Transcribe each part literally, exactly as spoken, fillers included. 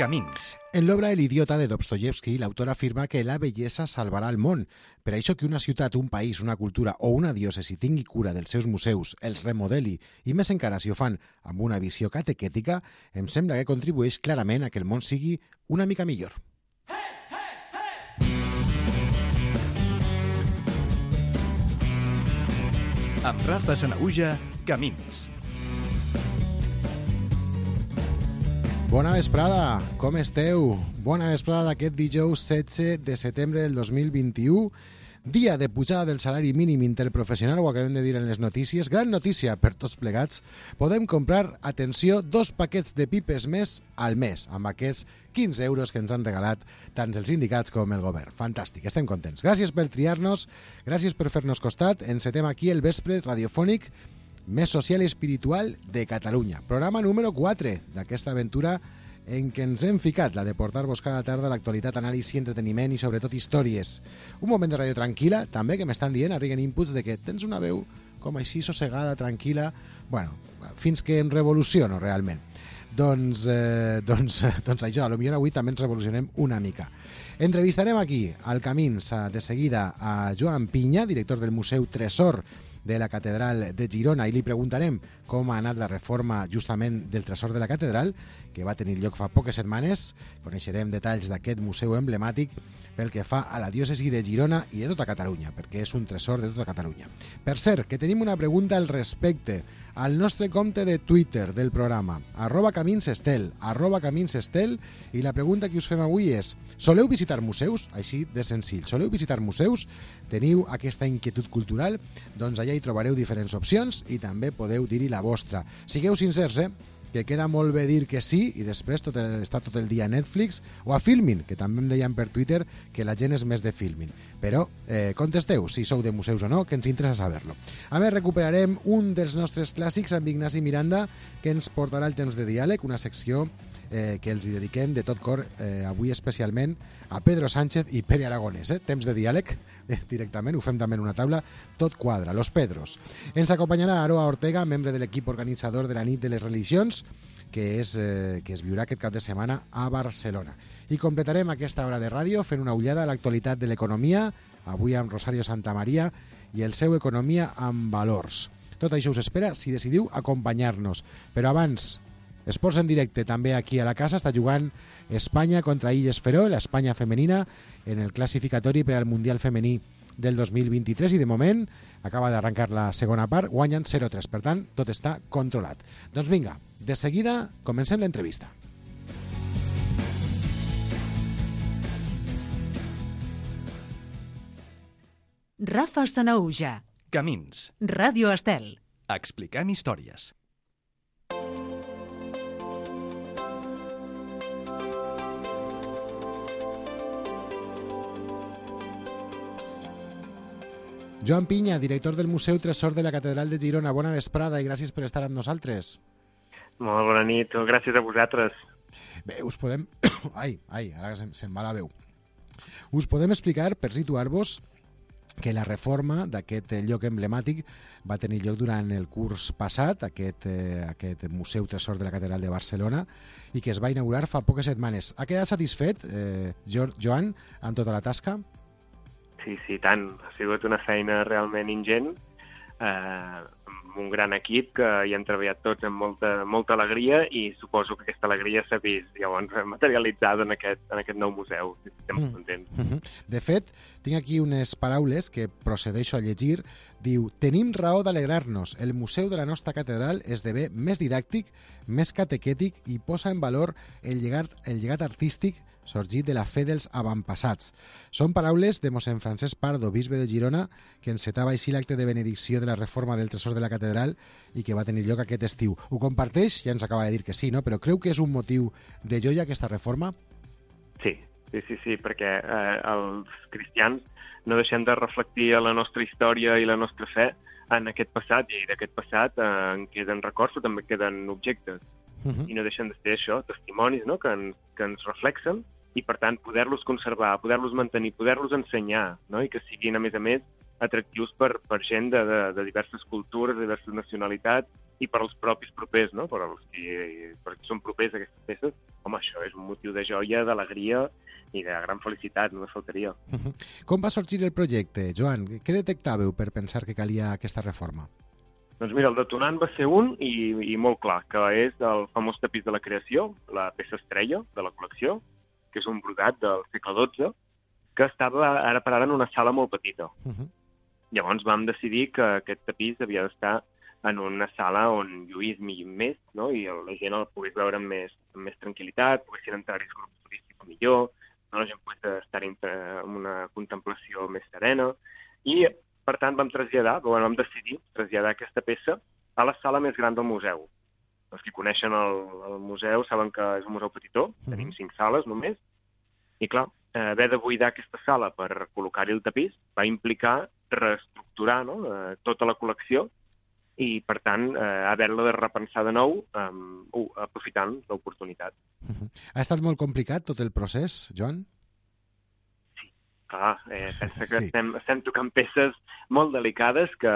Camins. En l'obra El idiota de Dostoyevsky, l'autor afirma que la bellesa salvarà el món. Per això que una ciutat, un país, una cultura o una diòcesi tingui cura dels seus museus, els remodeli i més encara si ho fan amb una visió catequètica, em sembla que contribueix clarament a que el món sigui una mica millor. Amb Rafa Sanahuja, Camins. Bona vesprada, com esteu? Bona vesprada d'aquest dijous setze de setembre del dos mil vint-i-u, dia de pujada del salari mínim interprofessional, ho acabem de dir en les notícies. Gran notícia per tots plegats. Podem comprar, atenció, dos paquets de pipes més al mes, amb aquests quinze euros que ens han regalat tant els sindicats com el govern. Fantàstic, estem contents. Gràcies per triar-nos, gràcies per fer-nos costat. Encetem aquí el vespre radiofònic més social i espiritual de Catalunya. Programa número quatre d'aquesta aventura en què ens hem ficat, la de portar-vos cada tarda l'actualitat, anàlisi, entreteniment i sobretot històries. Un moment de ràdio tranquil·la, també, que m'estan dient, arriben inputs de que tens una veu com així sossegada, tranquil·la, bueno, fins que em revoluciono realment. Doncs, eh, doncs, doncs això, potser avui també ens revolucionem una mica. Entrevistarem aquí, al Camins, de seguida, a Joan Pinya, director del Museu Tresor de la Catedral de Girona, i li preguntarem com ha anat la reforma justament del Tresor de la Catedral, que va tenir lloc fa poques setmanes. Coneixerem detalls d'aquest museu emblemàtic pel que fa a la diòcesi de Girona i de tota Catalunya, perquè és un tresor de tota Catalunya. Per cert, que tenim una pregunta al respecte al nostre compte de Twitter del programa, arroba caminsestel, arroba caminsestel, i la pregunta que us fem avui és: soleu visitar museus? Així de senzill. Soleu visitar museus? Teniu aquesta inquietud cultural? Doncs allà hi trobareu diferents opcions i també podeu dir-hi la vostra. Sigueu sincers, eh? Que queda molt bé dir que sí i després tot el, està tot el dia a Netflix o a Filmin, que també em deien per Twitter que la gent és més de Filmin. Però eh, contesteu si sou de museus o no, que ens interessa saber-lo. A més, recuperarem un dels nostres clàssics amb Ignasi Miranda, que ens portarà el temps de diàleg, una secció eh, que els hi dediquem de tot cor, eh, avui especialment a Pedro Sánchez i Pere Aragonès. Eh? Temps de diàleg, eh, directament, ho fem també en una taula, tot quadra, los Pedros. Ens acompanyarà Aroa Ortega, membre de l'equip organitzador de la Nit de les Religions, que, és, eh, que es viurà aquest cap de setmana a Barcelona. I completarem aquesta hora de ràdio fent una ullada a l'actualitat de l'economia, avui amb Rosario Santamaria i el seu Economia amb Valors. Tot això us espera si decidiu acompanyar-nos. Però abans, esports en directe també aquí a la casa. Està jugant Espanya contra Illes Feró, l'Espanya femenina, en el classificatori per al Mundial Femení del dos mil vint-i-tres, i de moment acaba d'arrencar la segona part, guanyen zero tres, per tant, tot està controlat. Doncs vinga, de seguida comencem l'entrevista. Rafa Sanahuja, Camins. Ràdio Estel. Expliquem històries. Joan Pinya, director del Museu Tresor de la Catedral de Girona. Bona vesprada i gràcies per estar amb nosaltres. Molt bona nit, gràcies a vosaltres. Bé, us podem... Ai, ai, ara se'm, se'm va la veu. Us podem explicar, per situar-vos, que la reforma d'aquest lloc emblemàtic va tenir lloc durant el curs passat, aquest, eh, aquest Museu Tresor de la Catedral de Barcelona, i que es va inaugurar fa poques setmanes. Ha quedat satisfet, eh, Joan, amb tota la tasca? Sí, sí, tant. Ha sigut una feina realment ingent, eh, amb un gran equip que hi han treballat tots amb molta, molta alegria, i suposo que aquesta alegria s'ha vist llavors materialitzada en aquest, en aquest nou museu. Estem molt contents. Mm-hmm. De fet, tinc aquí unes paraules que procedeixo a llegir. Diu: tenim raó d'alegrar-nos. El museu de la nostra catedral esdevé més didàctic, més catequètic i posa en valor el llegat, el llegat artístic sorgit de la fe dels avantpassats. Són paraules de mossèn Francesc Pardo, bisbe de Girona, que encetava així l'acte de benedicció de la reforma del Tresor de la Catedral i que va tenir lloc aquest estiu. Ho comparteix? Ja ens acaba de dir que sí, no? Però creu que és un motiu de joia aquesta reforma? Sí, sí, sí, sí, perquè eh, els cristians no deixem de reflectir la nostra història i la nostra fe en aquest passat, i d'aquest passat eh, en queden records o també queden objectes. Uh-huh. I no deixen de ser això, testimonis, no?, que, ens, que ens reflexen, i per tant poder-los conservar, poder-los mantenir, poder-los ensenyar, no?, i que siguin a més a més atractius per, per gent de, de, de diverses cultures, de diverses nacionalitats, i per als propis propers, no? Per als que, per als que són propers a aquestes peces, home, això és un motiu de joia, d'alegria i de gran felicitat, només faltaria. Uh-huh. Com va sorgir el projecte, Joan? Què detectàveu per pensar que calia aquesta reforma? Doncs mira, el detonant va ser un i, i molt clar, que és el famós tapís de la creació, la peça estrella de la col·lecció, que és un brodat del segle dotze, que estava ara per ara en una sala molt petita. Uh-huh. Llavors vam decidir que aquest tapís havia d'estar en una sala on lluís més, no? I la gent el pogués veure amb més, amb més tranquil·litat, poguessin entrar-hi els grups turístics millor, no? La gent pogués estar en una contemplació més serena, i per tant vam traslladar, bueno, vam decidir traslladar aquesta peça a la sala més gran del museu. Els que coneixen el, el museu saben que és un museu petitó, mm-hmm. Tenim cinc sales només, i clar, eh, haver de buidar aquesta sala per col·locar-hi el tapís va implicar reestructurar, no? eh, tota la col·lecció i, per tant, eh, haver-la de repensar de nou eh, uh, aprofitant l'oportunitat. Mm-hmm. Ha estat molt complicat tot el procés, Joan? Clar, eh, pensa que sí. estem, estem tocant peces molt delicades que,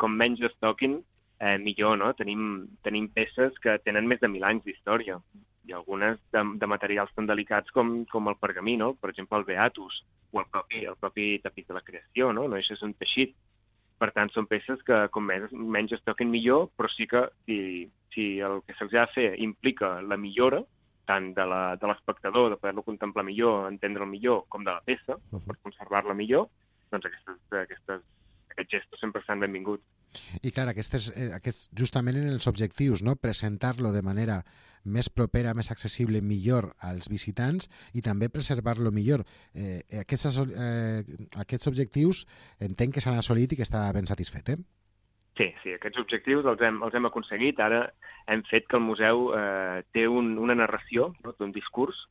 com menys es toquin, eh, millor, no? Tenim, tenim peces que tenen més de mil anys d'història, i algunes de, de materials tan delicats com, com el pergamí, no? Per exemple, el beatus, o el propi, el propi tapís de la creació, no? No és un teixit. Per tant, són peces que, com menys, menys es toquen millor, però sí que si, si el que se'ls ha de fer implica la millora, tant de l'espectador, de poder-lo contemplar millor, entendre'l millor, com de la peça, uh-huh. per conservar-la millor, doncs aquestes, aquestes, aquests gestos sempre estan benvinguts. I clar, aquestes, aquests, justament en els objectius, no? Presentar-lo de manera més propera, més accessible, millor als visitants i també preservar-lo millor. Eh, aquests, eh, aquests objectius entenc que s'han assolit i que està ben satisfet, eh? Sí, sí, aquests objectius els hem, els hem aconseguit. Ara hem fet que el museu eh, té un, una narració, no? Té un discurs.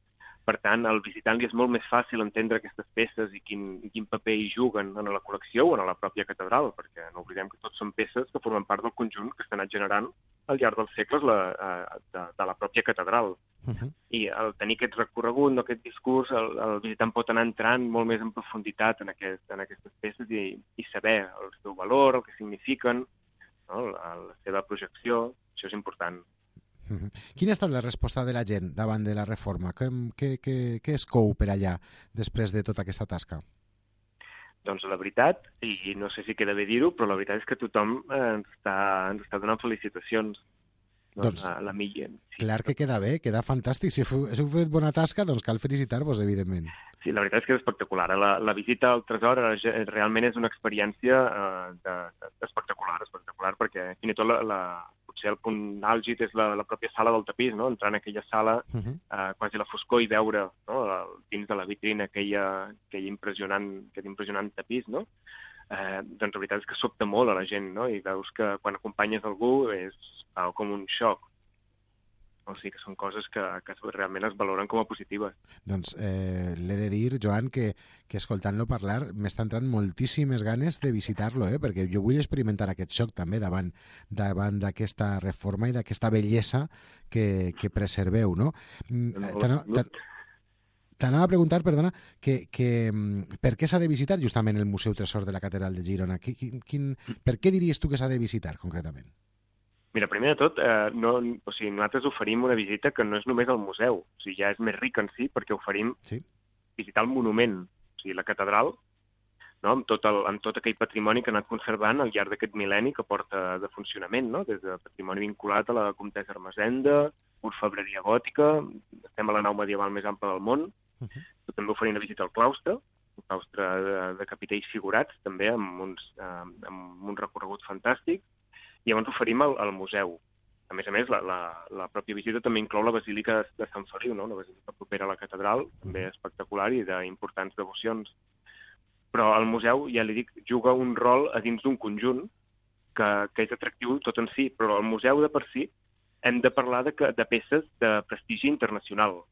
Per tant, al visitant li és molt més fàcil entendre aquestes peces i quin, i quin paper hi juguen en la col·lecció o en la pròpia catedral, perquè no oblidem que tots són peces que formen part del conjunt que s'ha anat generant al llarg dels segles la, de, de la pròpia catedral. Uh-huh. I al tenir aquest recorregut, no, aquest discurs, el, el visitant pot anar entrant molt més en profunditat en, aquest, en aquestes peces i, i saber el seu valor, el que signifiquen, no, la, la seva projecció. Això és important. Uh-huh. Quina ha estat la resposta de la gent davant de la reforma? Què, què, què, què es cou per allà després de tota aquesta tasca? Doncs la veritat, i no sé si queda bé dir-ho, però la veritat és que tothom ens està, ens està donant felicitacions. Doncs, la, la millor. Sí. Clar que queda bé, queda fantàstic. Si heu, si heu fet bona tasca, doncs cal felicitar-vos, evidentment. Sí, la veritat és que és espectacular. La, la visita al tresor realment és una experiència uh, de, de, espectacular, espectacular, perquè fins i tot la, la, potser el punt àlgid és la, la pròpia sala del tapís, no? Entrar en aquella sala, uh-huh. uh, quasi la foscor, i veure, no? Dins de la vitrina aquella, aquella impressionant, aquest impressionant tapís, no? Eh, doncs la veritat és que sobta molt a la gent, no? I veus que quan acompanyes algú és uh, com un xoc. O sigui que són coses que, que realment es valoren com a positives. doncs eh, l'he de dir, Joan, que, que escoltant-lo parlar m'estan entrant moltíssimes ganes de visitar-lo, eh? Perquè jo vull experimentar aquest xoc també davant davant d'aquesta reforma i d'aquesta bellesa que, que preserveu, no? T'anava a preguntar, perdona, que, que, per què s'ha de visitar justament el Museu Tresor de la Catedral de Girona? Quin, quin, per què diries tu que s'ha de visitar, concretament? Mira, primer de tot, eh, no, o sigui, nosaltres oferim una visita que no és només al museu, o sigui, ja és més ric en si, perquè oferim sí? visitar el monument, o sigui, la catedral, no? amb, tot el, amb tot aquell patrimoni que ha anat conservant al llarg d'aquest mil·lenni que porta de funcionament, no? Des de patrimoni vinculat a la comtessa Ermessenda, orfebreria gòtica, estem a la nau medieval més ampla del món, uh-huh. també oferim una visita al claustre, un claustre de, de capitells figurats, també amb, uns, eh, amb un recorregut fantàstic, i llavors oferim al, al museu. A més a més, la, la, la pròpia visita també inclou la Basílica de Sant Feliu, no? Una basílica propera a la catedral, també espectacular i d'importants devocions. Però el museu, ja li dic, juga un rol a dins d'un conjunt que, que és atractiu tot en si, però el museu de per si hem de parlar de, que, de peces de prestigi internacional.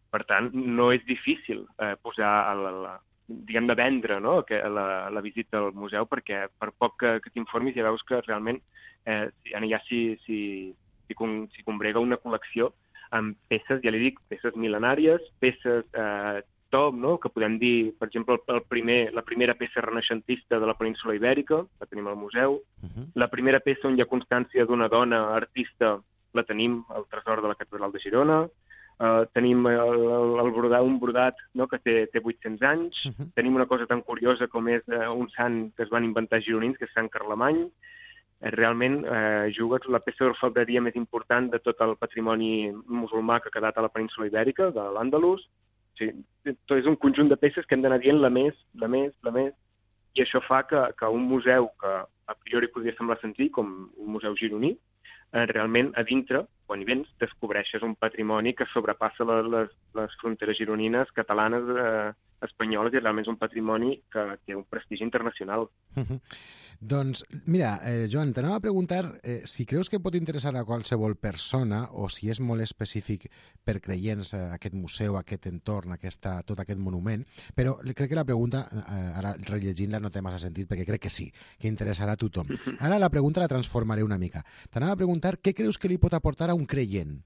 Per tant, no és difícil eh, posar a la, la diguem de vendre, no? que, la, la visita al museu, perquè per poc que, que t'informis ja veus que realment eh, ja s'hi si, si, si combrega una col·lecció amb peces, ja li dic, peces mil·lenàries, peces eh, top, no? Que podem dir, per exemple, el, el primer, la primera peça renaixentista de la península Ibèrica, la tenim al museu. Uh-huh. La primera peça on hi ha constància d'una dona artista la tenim al tresor de la Catedral de Girona. Uh, tenim el, el, el brodat, un brodat, no? Que té, té vuit-cents anys. Uh-huh. Tenim una cosa tan curiosa com és uh, un sant que es van inventar gironins, que és Sant Carlemany. Realment eh, juga la peça d'orfebreria més important de tot el patrimoni musulmà que ha quedat a la península Ibèrica, de l'Àndalus. O sigui, és un conjunt de peces que hem d'anar dient la més, la més, la més, i això fa que, que un museu que a priori podria semblar senzill, com un museu gironí, eh, realment a dintre, quan hi vens, descobreixes un patrimoni que sobrepassa les, les, les fronteres gironines, catalanes, eh, espanyoles, i realment és un patrimoni que té un prestigi internacional. Uh-huh. Doncs, mira, eh, Joan, t'anava a preguntar eh, si creus que pot interessar a qualsevol persona o si és molt específic per creients eh, aquest museu, aquest entorn, aquesta, tot aquest monument, però crec que la pregunta, eh, ara rellegint-la no té massa sentit perquè crec que sí, que interessarà a tothom. Ara la pregunta la transformaré una mica. T'anava a preguntar què creus que li pot aportar a un creient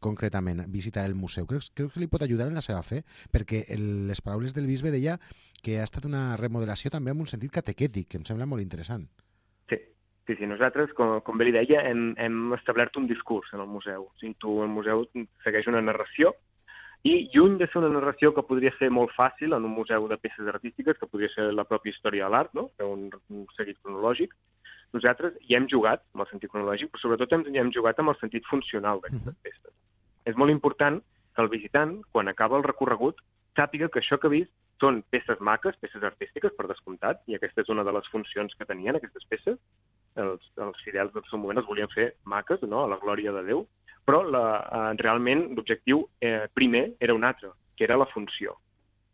concretament, visitar el museu. Creus, creus que li pot ajudar en la seva fe? Perquè el, les paraules del bisbe deia que ha estat una remodelació també en un sentit catequètic, que em sembla molt interessant. Sí, sí, sí. Nosaltres, com, com bé li deia, hem, hem establert un discurs en el museu. O sigui, tu, el museu segueix una narració i, lluny de ser una narració que podria ser molt fàcil en un museu de peces artístiques, que podria ser la pròpia història de l'art, no? Un, un seguit cronològic, nosaltres hi hem jugat amb el sentit cronològic, però sobretot hem, hi hem jugat amb el sentit funcional d'aquestes uh-huh. peces. És molt important que el visitant, quan acaba el recorregut, sàpiga que això que ha vist són peces maques, peces artístiques, per descomptat, i aquesta és una de les funcions que tenien aquestes peces. Els, els fidels del seu moment els volien fer maques, no?, a la glòria de Déu, però la, eh, realment l'objectiu eh, primer era un altre, que era la funció.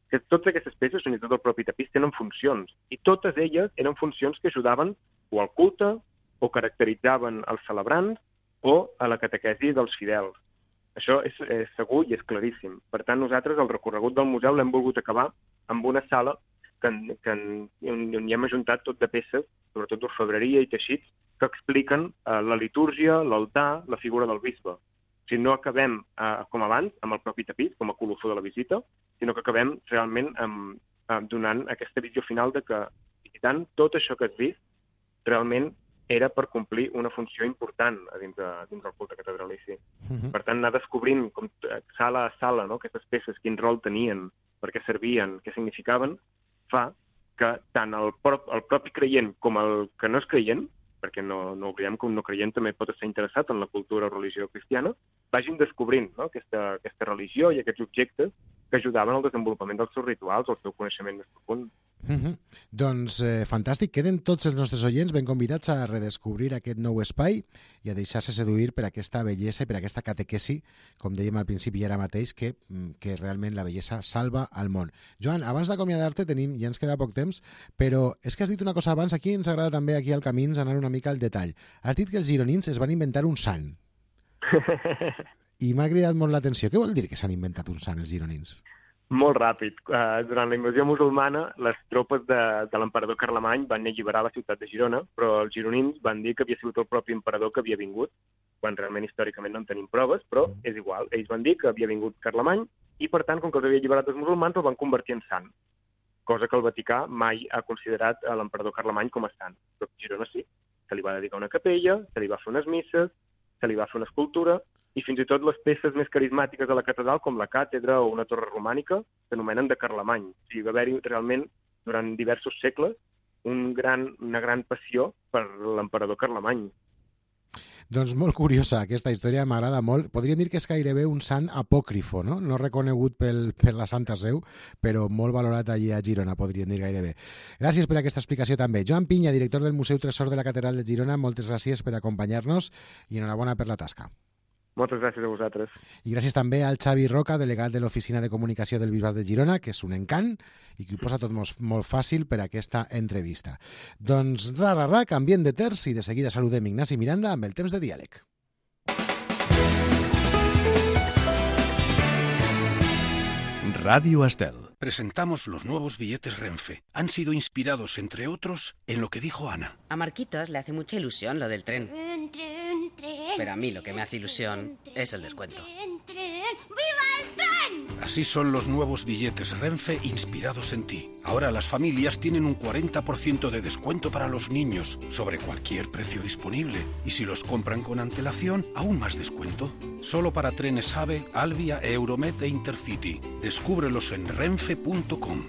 Que totes aquestes peces, fins i tot el propi tapís, tenen funcions, i totes elles eren funcions que ajudaven o al culte, o caracteritzaven els celebrants, o a la catequesi dels fidels. Això és, és segur i és claríssim. Per tant, nosaltres el recorregut del museu l'hem volgut acabar amb una sala que, que, on, on hi hem ajuntat tot de peces, sobretot d'orfebreria i teixits, que expliquen eh, la litúrgia, l'altar, la figura del bisbe. O sigui, no acabem, eh, com abans, amb el propi tapís, com a colofó de la visita, sinó que acabem realment amb, eh, donant aquesta visió final de que, visitant, tot això que has vist, realment era per complir una funció important a dins, de, dins del culte catedralici. Uh-huh. Per tant, anar descobrint com, sala a sala, no?, aquestes peces, quin rol tenien, per què servien, què significaven, fa que tant el, prop, el propi creient com el que no és creient, perquè no, no oblidem que un no creient també pot estar interessat en la cultura o religió cristiana, vagin descobrint, no?, aquesta, aquesta religió i aquests objectes que ajudaven al desenvolupament dels seus rituals, al seu coneixement més profund. Uh-huh. Doncs eh, fantàstic, queden tots els nostres oients ben convidats a redescobrir aquest nou espai i a deixar-se seduir per aquesta bellesa i per aquesta catequesi, com dèiem al principi i ara mateix, que, que realment la bellesa salva al món. Joan, abans d'acomiadar-te, tenim, ja ens queda poc temps, però és que has dit una cosa abans, aquí ens agrada també aquí al Camins anar una mica al detall. Has dit que els gironins es van inventar un sant. I m'ha cridat molt l'atenció. Què vol dir que s'han inventat un sant, els gironins? Molt ràpid. Uh, durant la invasió musulmana, les tropes de, de l'emperador Carlemany van alliberar la ciutat de Girona, però els gironins van dir que havia sigut el propi emperador que havia vingut, quan realment històricament no en tenim proves, però és igual. Ells van dir que havia vingut Carlemany i, per tant, com que els havia alliberat els musulmans, el van convertir en sant, cosa que el Vaticà mai ha considerat a l'emperador Carlemany com a sant. Però Girona sí. Se li va dedicar una capella, se li va fer unes misses, se li va fer una escultura, i fins i tot les peces més carismàtiques de la catedral, com la càtedra o una torre romànica, s'anomenen de Carlemany. O sigui, va haver-hi realment, durant diversos segles, un gran, una gran passió per l'emperador Carlemany. Doncs molt curiosa aquesta història, m'agrada molt. Podríem dir que és gairebé un sant apòcrifo, no? No reconegut pel, per la Santa Seu, però molt valorat allí a Girona, podríem dir gairebé. Gràcies per aquesta explicació també. Joan Pinya, director del Museu Tresor de la Catedral de Girona, moltes gràcies per acompanyar-nos i enhorabona per la tasca. Moltes gràcies a vosaltres. I gràcies també al Xavi Roca, delegat de l'Oficina de Comunicació del Bisbat de Girona, que és un encant i que ho posa tot molt, molt fàcil per a aquesta entrevista. Doncs, ra, ra, ra, canviem de terç i de seguida saludem Ignasi Miranda amb el temps de diàleg. Radio Estel. Presentamos los nuevos billetes Renfe. Han sido inspirados, entre otros, en lo que dijo Ana. A Marquitos le hace mucha ilusión lo del tren. Tren, tren, tren. Pero a mí lo que me hace ilusión Tren, es el descuento. Tren, tren. ¡Viva el tren! Así son los nuevos billetes Renfe inspirados en ti. Ahora las familias tienen un cuarenta por ciento de descuento para los niños sobre cualquier precio disponible. Y si los compran con antelación, aún más descuento. Solo para trenes AVE, Alvia, Euromet e Intercity. Descúbrelos en renfe punto com.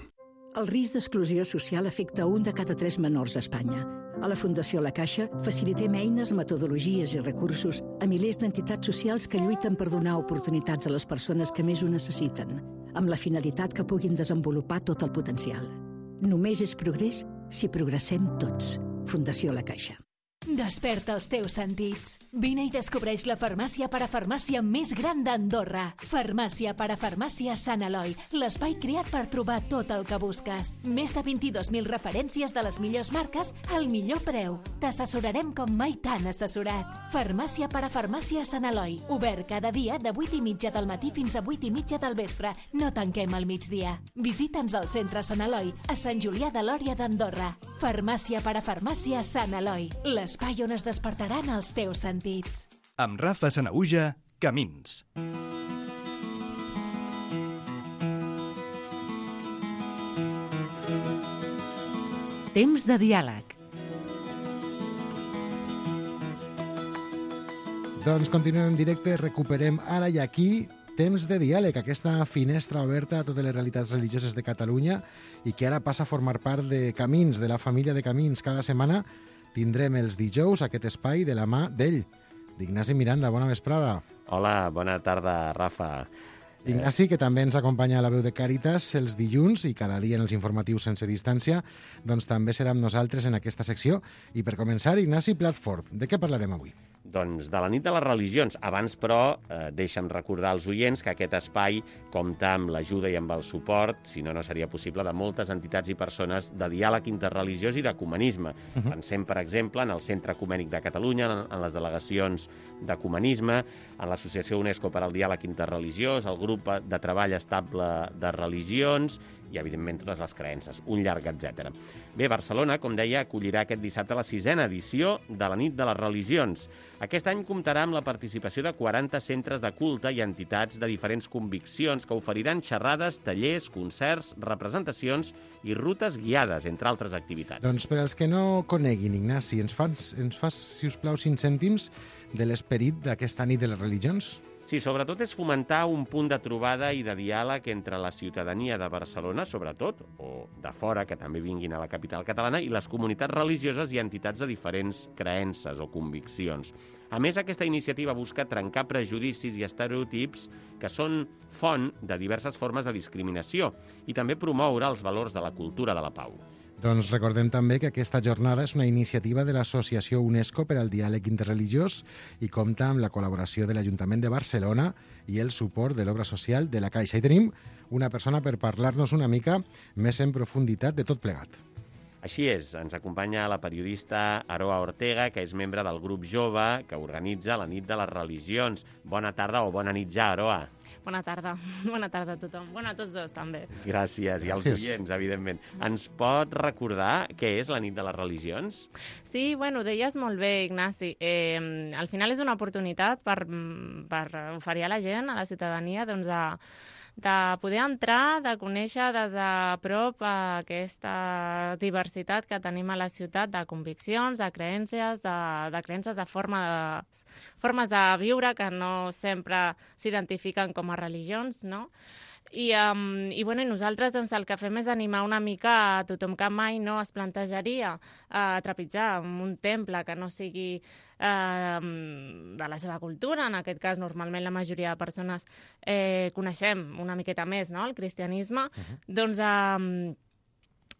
El risc d'exclusió social afecta un de cada tres menors a Espanya. A la Fundació La Caixa facilitem eines, metodologies i recursos a milers d'entitats socials que lluiten per donar oportunitats a les persones que més ho necessiten, amb la finalitat que puguin desenvolupar tot el potencial. Només és progrés si progressem tots. Fundació La Caixa. Desperta els teus sentits. Vine i descobreix la farmàcia parafarmàcia més gran d'Andorra. Farmàcia parafarmàcia Sant Eloi, l'espai creat per trobar tot el que busques. Més de vint-i-dos mil referències de les millors marques al millor preu. T'assessorarem com mai t'han assessorat. Farmàcia parafarmàcia Sant Eloi, obert cada dia de vuit i mitja del matí fins a vuit i mitja del vespre. No tanquem al migdia. Visita'ns al centre Sant Eloi, a Sant Julià de Lòria d'Andorra. Farmàcia parafarmàcia Sant Eloi, les l'espai on es despertaran els teus sentits. Amb Rafa Sanahuja, Camins. Temps de diàleg. Doncs continuem en directe, recuperem ara i aquí Temps de diàleg, aquesta finestra oberta a totes les realitats religioses de Catalunya i que ara passa a formar part de Camins, de la família de Camins. Cada setmana tindrem els dijous aquest espai de la mà d'ell, d'Ignasi Miranda. Bona vesprada. Hola, bona tarda, Rafa. Ignasi, que també ens acompanya a la veu de Càritas els dilluns i cada dia en els informatius sense distància, doncs també serà amb nosaltres en aquesta secció. I per començar, Ignasi Platford, de què parlarem avui? Doncs de la nit de les religions. Abans, però, eh, deixa'm recordar als oients que aquest espai compta amb l'ajuda i amb el suport, si no, no seria possible, de moltes entitats i persones de diàleg interreligiós i d'ecumenisme. Uh-huh. Pensem, per exemple, en el Centre Ecumènic de Catalunya, en les delegacions d'ecumenisme, en l'Associació UNESCO per al Diàleg Interreligiós, el Grup de Treball Estable de Religions i, evidentment, totes les creences, un llarg etcètera. Bé, Barcelona, com deia, acollirà aquest dissabte la sisena edició de la nit de les religions. Aquest any comptarà amb la participació de quaranta centres de culte i entitats de diferents conviccions que oferiran xerrades, tallers, concerts, representacions i rutes guiades, entre altres activitats. Doncs per als que no coneguin, Ignasi, ens fas, ens fas si us plau, cinc cèntims de l'esperit d'aquesta nit de les religions? Sí, sobretot és fomentar un punt de trobada i de diàleg entre la ciutadania de Barcelona, sobretot, o de fora, que també vinguin a la capital catalana, i les comunitats religioses i entitats de diferents creences o conviccions. A més, aquesta iniciativa busca trencar prejudicis i estereotips que són font de diverses formes de discriminació i també promoure els valors de la cultura de la pau. Doncs recordem també que aquesta jornada és una iniciativa de l'Associació UNESCO per al Diàleg Interreligiós i compta amb la col·laboració de l'Ajuntament de Barcelona i el suport de l'Obra Social de la Caixa. I tenim una persona per parlar-nos una mica més en profunditat de tot plegat. Així és, ens acompanya la periodista Aroa Ortega, que és membre del grup jove que organitza la nit de les religions. Bona tarda o bona nit ja, Aroa. Bona tarda. Bona tarda a tothom. Bona a tots dos, també. Gràcies. I als oients, evidentment. Ens pot recordar què és la nit de les religions? Sí, bueno, ho deies molt bé, Ignasi. Eh, al final és una oportunitat per, per oferir a la gent, a la ciutadania, doncs, a de poder entrar, de conèixer des de prop aquesta diversitat que tenim a la ciutat de conviccions, de creences, de, de creences de, forma de formes de viure que no sempre s'identifiquen com a religions, no? I, um, i, bueno, i nosaltres doncs, el que fem és animar una mica a tothom que mai no es plantejaria uh, trepitjar en un temple que no sigui uh, de la seva cultura. En aquest cas, normalment la majoria de persones eh, coneixem una miqueta més, no?, el cristianisme. Uh-huh. Doncs um,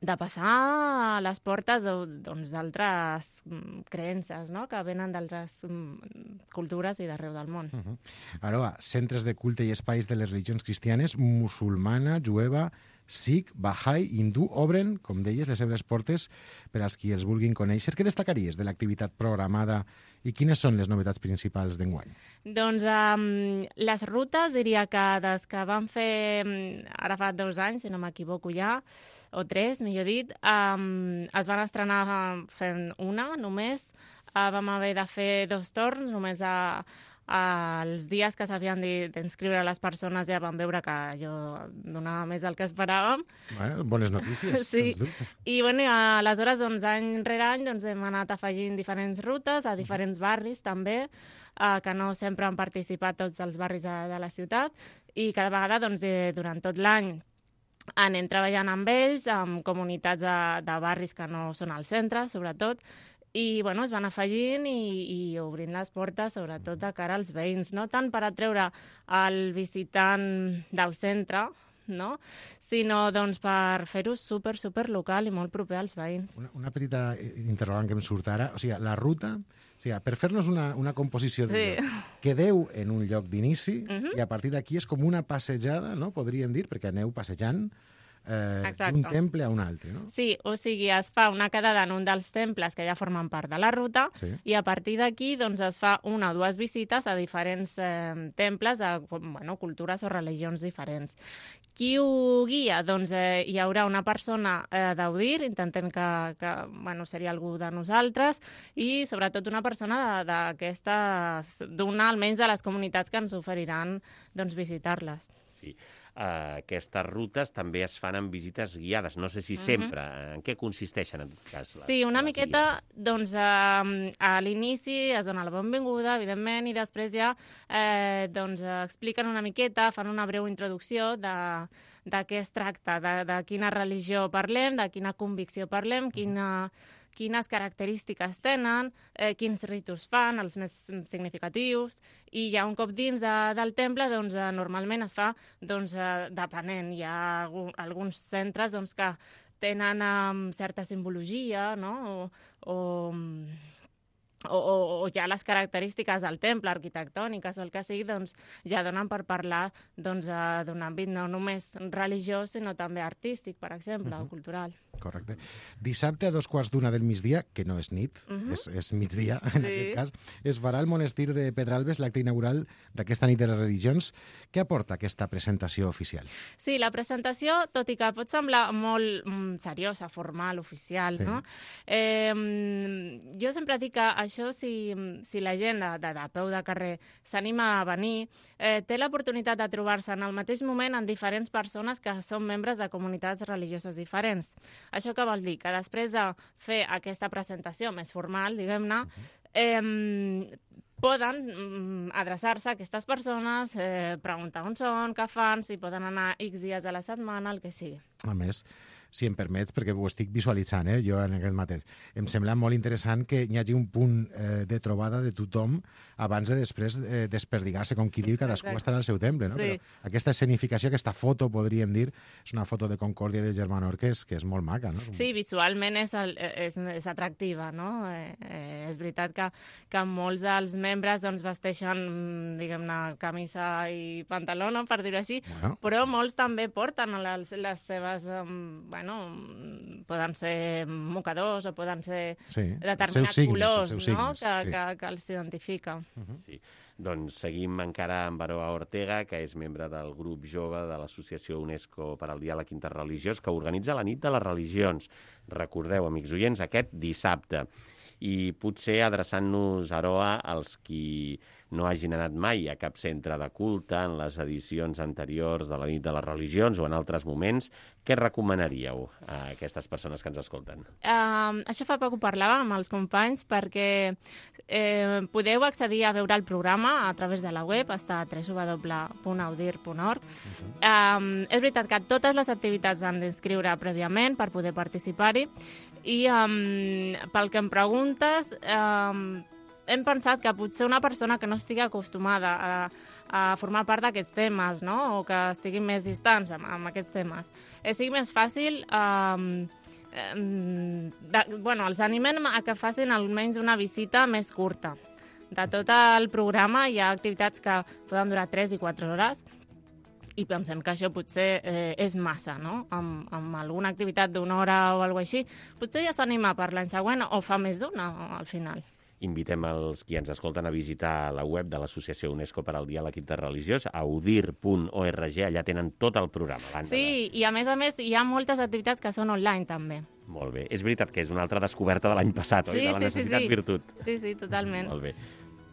de passar a les portes d'altres doncs, creences, no?, que venen d'altres cultures i d'arreu del món. Uh-huh. Aroa, centres de culte i espais de les religions cristianes, musulmana, jueva, Sikh, Bahá'í, hindú, obren, com deies, les seves portes per als qui els vulguin conèixer. Què destacaries de l'activitat programada i quines són les novetats principals d'enguany? Doncs um, les rutes, diria que des que vam fer, ara fa dos anys, si no m'equivoco ja, o tres, millor dit, um, es van estrenar fent una només. Uh, vam haver de fer dos torns, només a, els dies que s'havien d'inscriure les persones ja vam veure que allò donava més del que esperàvem. Bueno, bones notícies, sí. sens dubte. I bueno, aleshores, doncs, any rere any doncs, hem anat afegint diferents rutes a diferents barris també, eh, que no sempre han participat tots els barris de, de la ciutat, i cada vegada doncs, eh, durant tot l'any anem treballant amb ells, amb comunitats de, de barris que no són al centre, sobretot, i bueno, es van afegint i, i obrint les portes, sobretot de cara als veïns, no tant per atreure el visitant del centre, no? Sinó doncs, per fer-ho super, super local i molt proper als veïns. Una, una petita interrogant que em surt ara. O sigui, la ruta, o sigui, per fer-nos una, una composició de Sí. lloc, quedeu en un lloc d'inici Mhm. i a partir d'aquí és com una passejada, no? Podríem dir, perquè aneu passejant eh, Exacte. d'un temple a un altre, no? Sí, o sigui, es fa una quedada en un dels temples que ja formen part de la ruta Sí. i a partir d'aquí doncs, es fa una o dues visites a diferents eh, temples de bueno, cultures o religions diferents. Qui ho guia? Doncs eh, hi haurà una persona eh, d'Audir, intentem que, que bueno, seria algú de nosaltres, i sobretot una persona d'aquestes, d'una almenys de les comunitats que ens oferiran doncs, visitar-les. Sí. Uh, aquestes rutes també es fan amb visites guiades. No sé si Mhm. sempre. En què consisteixen, en tot cas? Les, Sí, una les miqueta, doncs, eh, a l'inici es dona la benvinguda, evidentment, i després ja eh, doncs, expliquen una miqueta, fan una breu introducció de, de què es tracta, de, de quina religió parlem, de quina convicció parlem, quina, quines característiques tenen, eh, quins ritus fan, els més significatius, i ja un cop dins de, del temple, doncs, eh, normalment es fa, doncs, eh, depenent. Hi ha algun, alguns centres doncs, que tenen um, certa simbologia, no? O, o, o, o, o ja les característiques del temple, arquitectòniques o el que sigui, doncs ja donen per parlar doncs, uh, d'un àmbit no només religiós, sinó també artístic, per exemple, uh -huh. o cultural. Correcte. Dissabte a dos quarts d'una del migdia, que no és nit, uh -huh. és, és migdia en Sí. aquest cas, es farà al monestir de Pedralbes l'acte inaugural d'aquesta nit de les religions. Què aporta aquesta presentació oficial? Sí, la presentació, tot i que pot semblar molt mm, seriosa, formal, oficial, Sí. no? Eh, jo sempre dic que això, si, si la gent de, de, de peu de carrer s'anima a venir, eh, té l'oportunitat de trobar-se en el mateix moment en diferents persones que són membres de comunitats religioses diferents. Això què vol dir? Que després de fer aquesta presentació més formal, diguem-ne, eh, poden mm, adreçar-se a aquestes persones, eh, preguntar on són, què fan, si poden anar X dies a la setmana, el que sigui. A més, si em permets, perquè ho estic visualitzant, eh, jo en aquest mateix, em sembla molt interessant que hi hagi un punt eh, de trobada de tothom abans de després eh, desperdigar-se, com qui diu, cadascú Exacte. estarà al seu temple, no? Sí. Però aquesta escenificació, aquesta foto, podríem dir, és una foto de Concòrdia i de Germanor que és, que és molt maca, no? Sí, visualment és, el, és, és atractiva, no? Eh, eh, és veritat que, que molts dels membres doncs, vesteixen, diguem-ne, camisa i pantalona, per dir-ho així, Bueno. però molts també porten les, les seves, um, bueno, poden ser mocadors o poden ser Sí, determinats els seus signes, colors, els seus no? signes, que, sí. que, que els identifiquen. Sí. Doncs seguim encara amb Aroa Ortega, que és membre del grup jove de l'Associació UNESCO per al Diàleg Interreligiós, que organitza la Nit de les Religions. Recordeu, amics oients, aquest dissabte. I potser adreçant-nos, Aroa, als qui no hagin anat mai a cap centre de culte en les edicions anteriors de la Nit de les Religions o en altres moments, què recomanaríeu a aquestes persones que ens escolten? Uh, això fa poc ho parlàvem amb els companys perquè eh, podeu accedir a veure el programa a través de la web, està a w w w punt audir punt org. Uh, um, és veritat que totes les activitats han d'inscriure prèviament per poder participar-hi i um, pel que em preguntes, um, hem pensat que potser una persona que no estigui acostumada a, a formar part d'aquests temes, no? O que estiguin més distants amb, amb aquests temes, eh, sigui més fàcil... Um, De, bueno, els animem a que facin almenys una visita més curta. De tot el programa hi ha activitats que poden durar tres i quatre hores i pensem que això potser eh, és massa, no? Amb, amb alguna activitat d'una hora o alguna cosa així, potser ja s'anima per l'any següent o fa més d'una al final. Invitem els qui ens escolten a visitar la web de l'Associació UNESCO per al Diàleg Interreligiós, audir punt org, allà tenen tot el programa. Sí, i a més a més hi ha moltes activitats que són online també. Molt bé. És veritat que és una altra descoberta de l'any passat, sí, oi? De la sí, necessitat sí, sí. virtut. Sí, sí, totalment. Molt bé.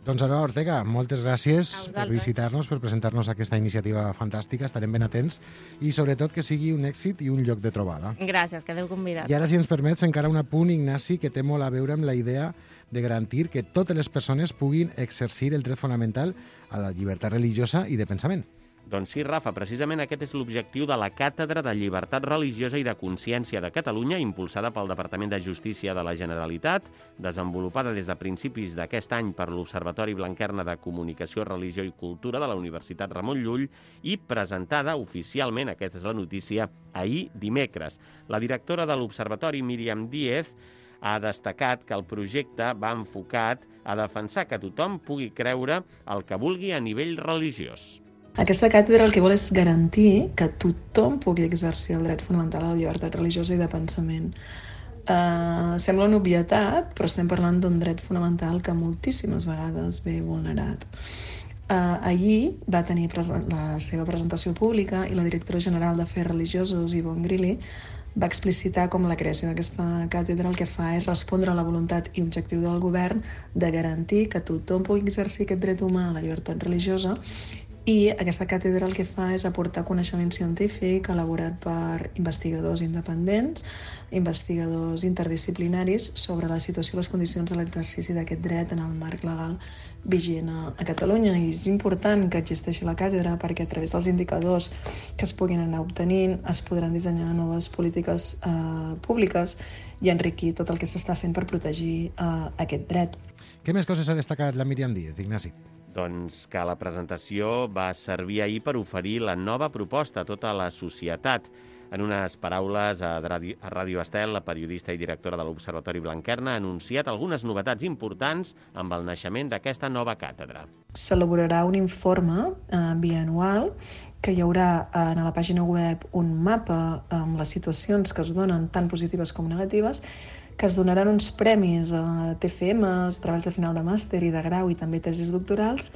Doncs Aroa Ortega, moltes gràcies per visitar-nos, per presentar-nos aquesta iniciativa fantàstica. Estarem ben atents i, sobretot, que sigui un èxit i un lloc de trobada. Gràcies, quedeu convidats. I ara, si ens permets, encara un apunt, Ignasi, que té molt a veure amb la idea de garantir que totes les persones puguin exercir el dret fonamental a la llibertat religiosa i de pensament. Doncs sí, Rafa, precisament aquest és l'objectiu de la Càtedra de Llibertat Religiosa i de Consciència de Catalunya, impulsada pel Departament de Justícia de la Generalitat, desenvolupada des de principis d'aquest any per l'Observatori Blanquerna de Comunicació, Religió i Cultura de la Universitat Ramon Llull i presentada oficialment, aquesta és la notícia, ahir dimecres. La directora de l'Observatori, Míriam Díez, ha destacat que el projecte va enfocat a defensar que tothom pugui creure el que vulgui a nivell religiós. Aquesta càtedra el que vol és garantir que tothom pugui exercir el dret fonamental a la llibertat religiosa i de pensament. Uh, sembla una obvietat, però estem parlant d'un dret fonamental que moltíssimes vegades ve vulnerat. Uh, ahir va tenir la seva presentació pública i la directora general d'Afers Religiosos, Yvonne Grilly, va explicitar com la creació d'aquesta càtedra el que fa és respondre a la voluntat i objectiu del govern de garantir que tothom pugui exercir aquest dret humà a la llibertat religiosa. I aquesta càtedra el que fa és aportar coneixement científic elaborat per investigadors independents, investigadors interdisciplinaris sobre la situació i les condicions de l'exercici d'aquest dret en el marc legal vigent a Catalunya. I és important que existeixi la càtedra perquè a través dels indicadors que es puguin anar obtenint es podran dissenyar noves polítiques eh, públiques i enriquir tot el que s'està fent per protegir eh, aquest dret. Què més coses ha destacat la Míriam Díez, Ignasi? Doncs que la presentació va servir ahir per oferir la nova proposta a tota la societat. En unes paraules a Ràdio Estel, la periodista i directora de l'Observatori Blanquerna ha anunciat algunes novetats importants amb el naixement d'aquesta nova càtedra. S'elaborarà un informe eh, bianual que hi haurà eh, a la pàgina web un mapa amb les situacions que es donen tant positives com negatives, que es donaran uns premis a T F Ms, treballs de final de màster i de grau i també tesis doctorals,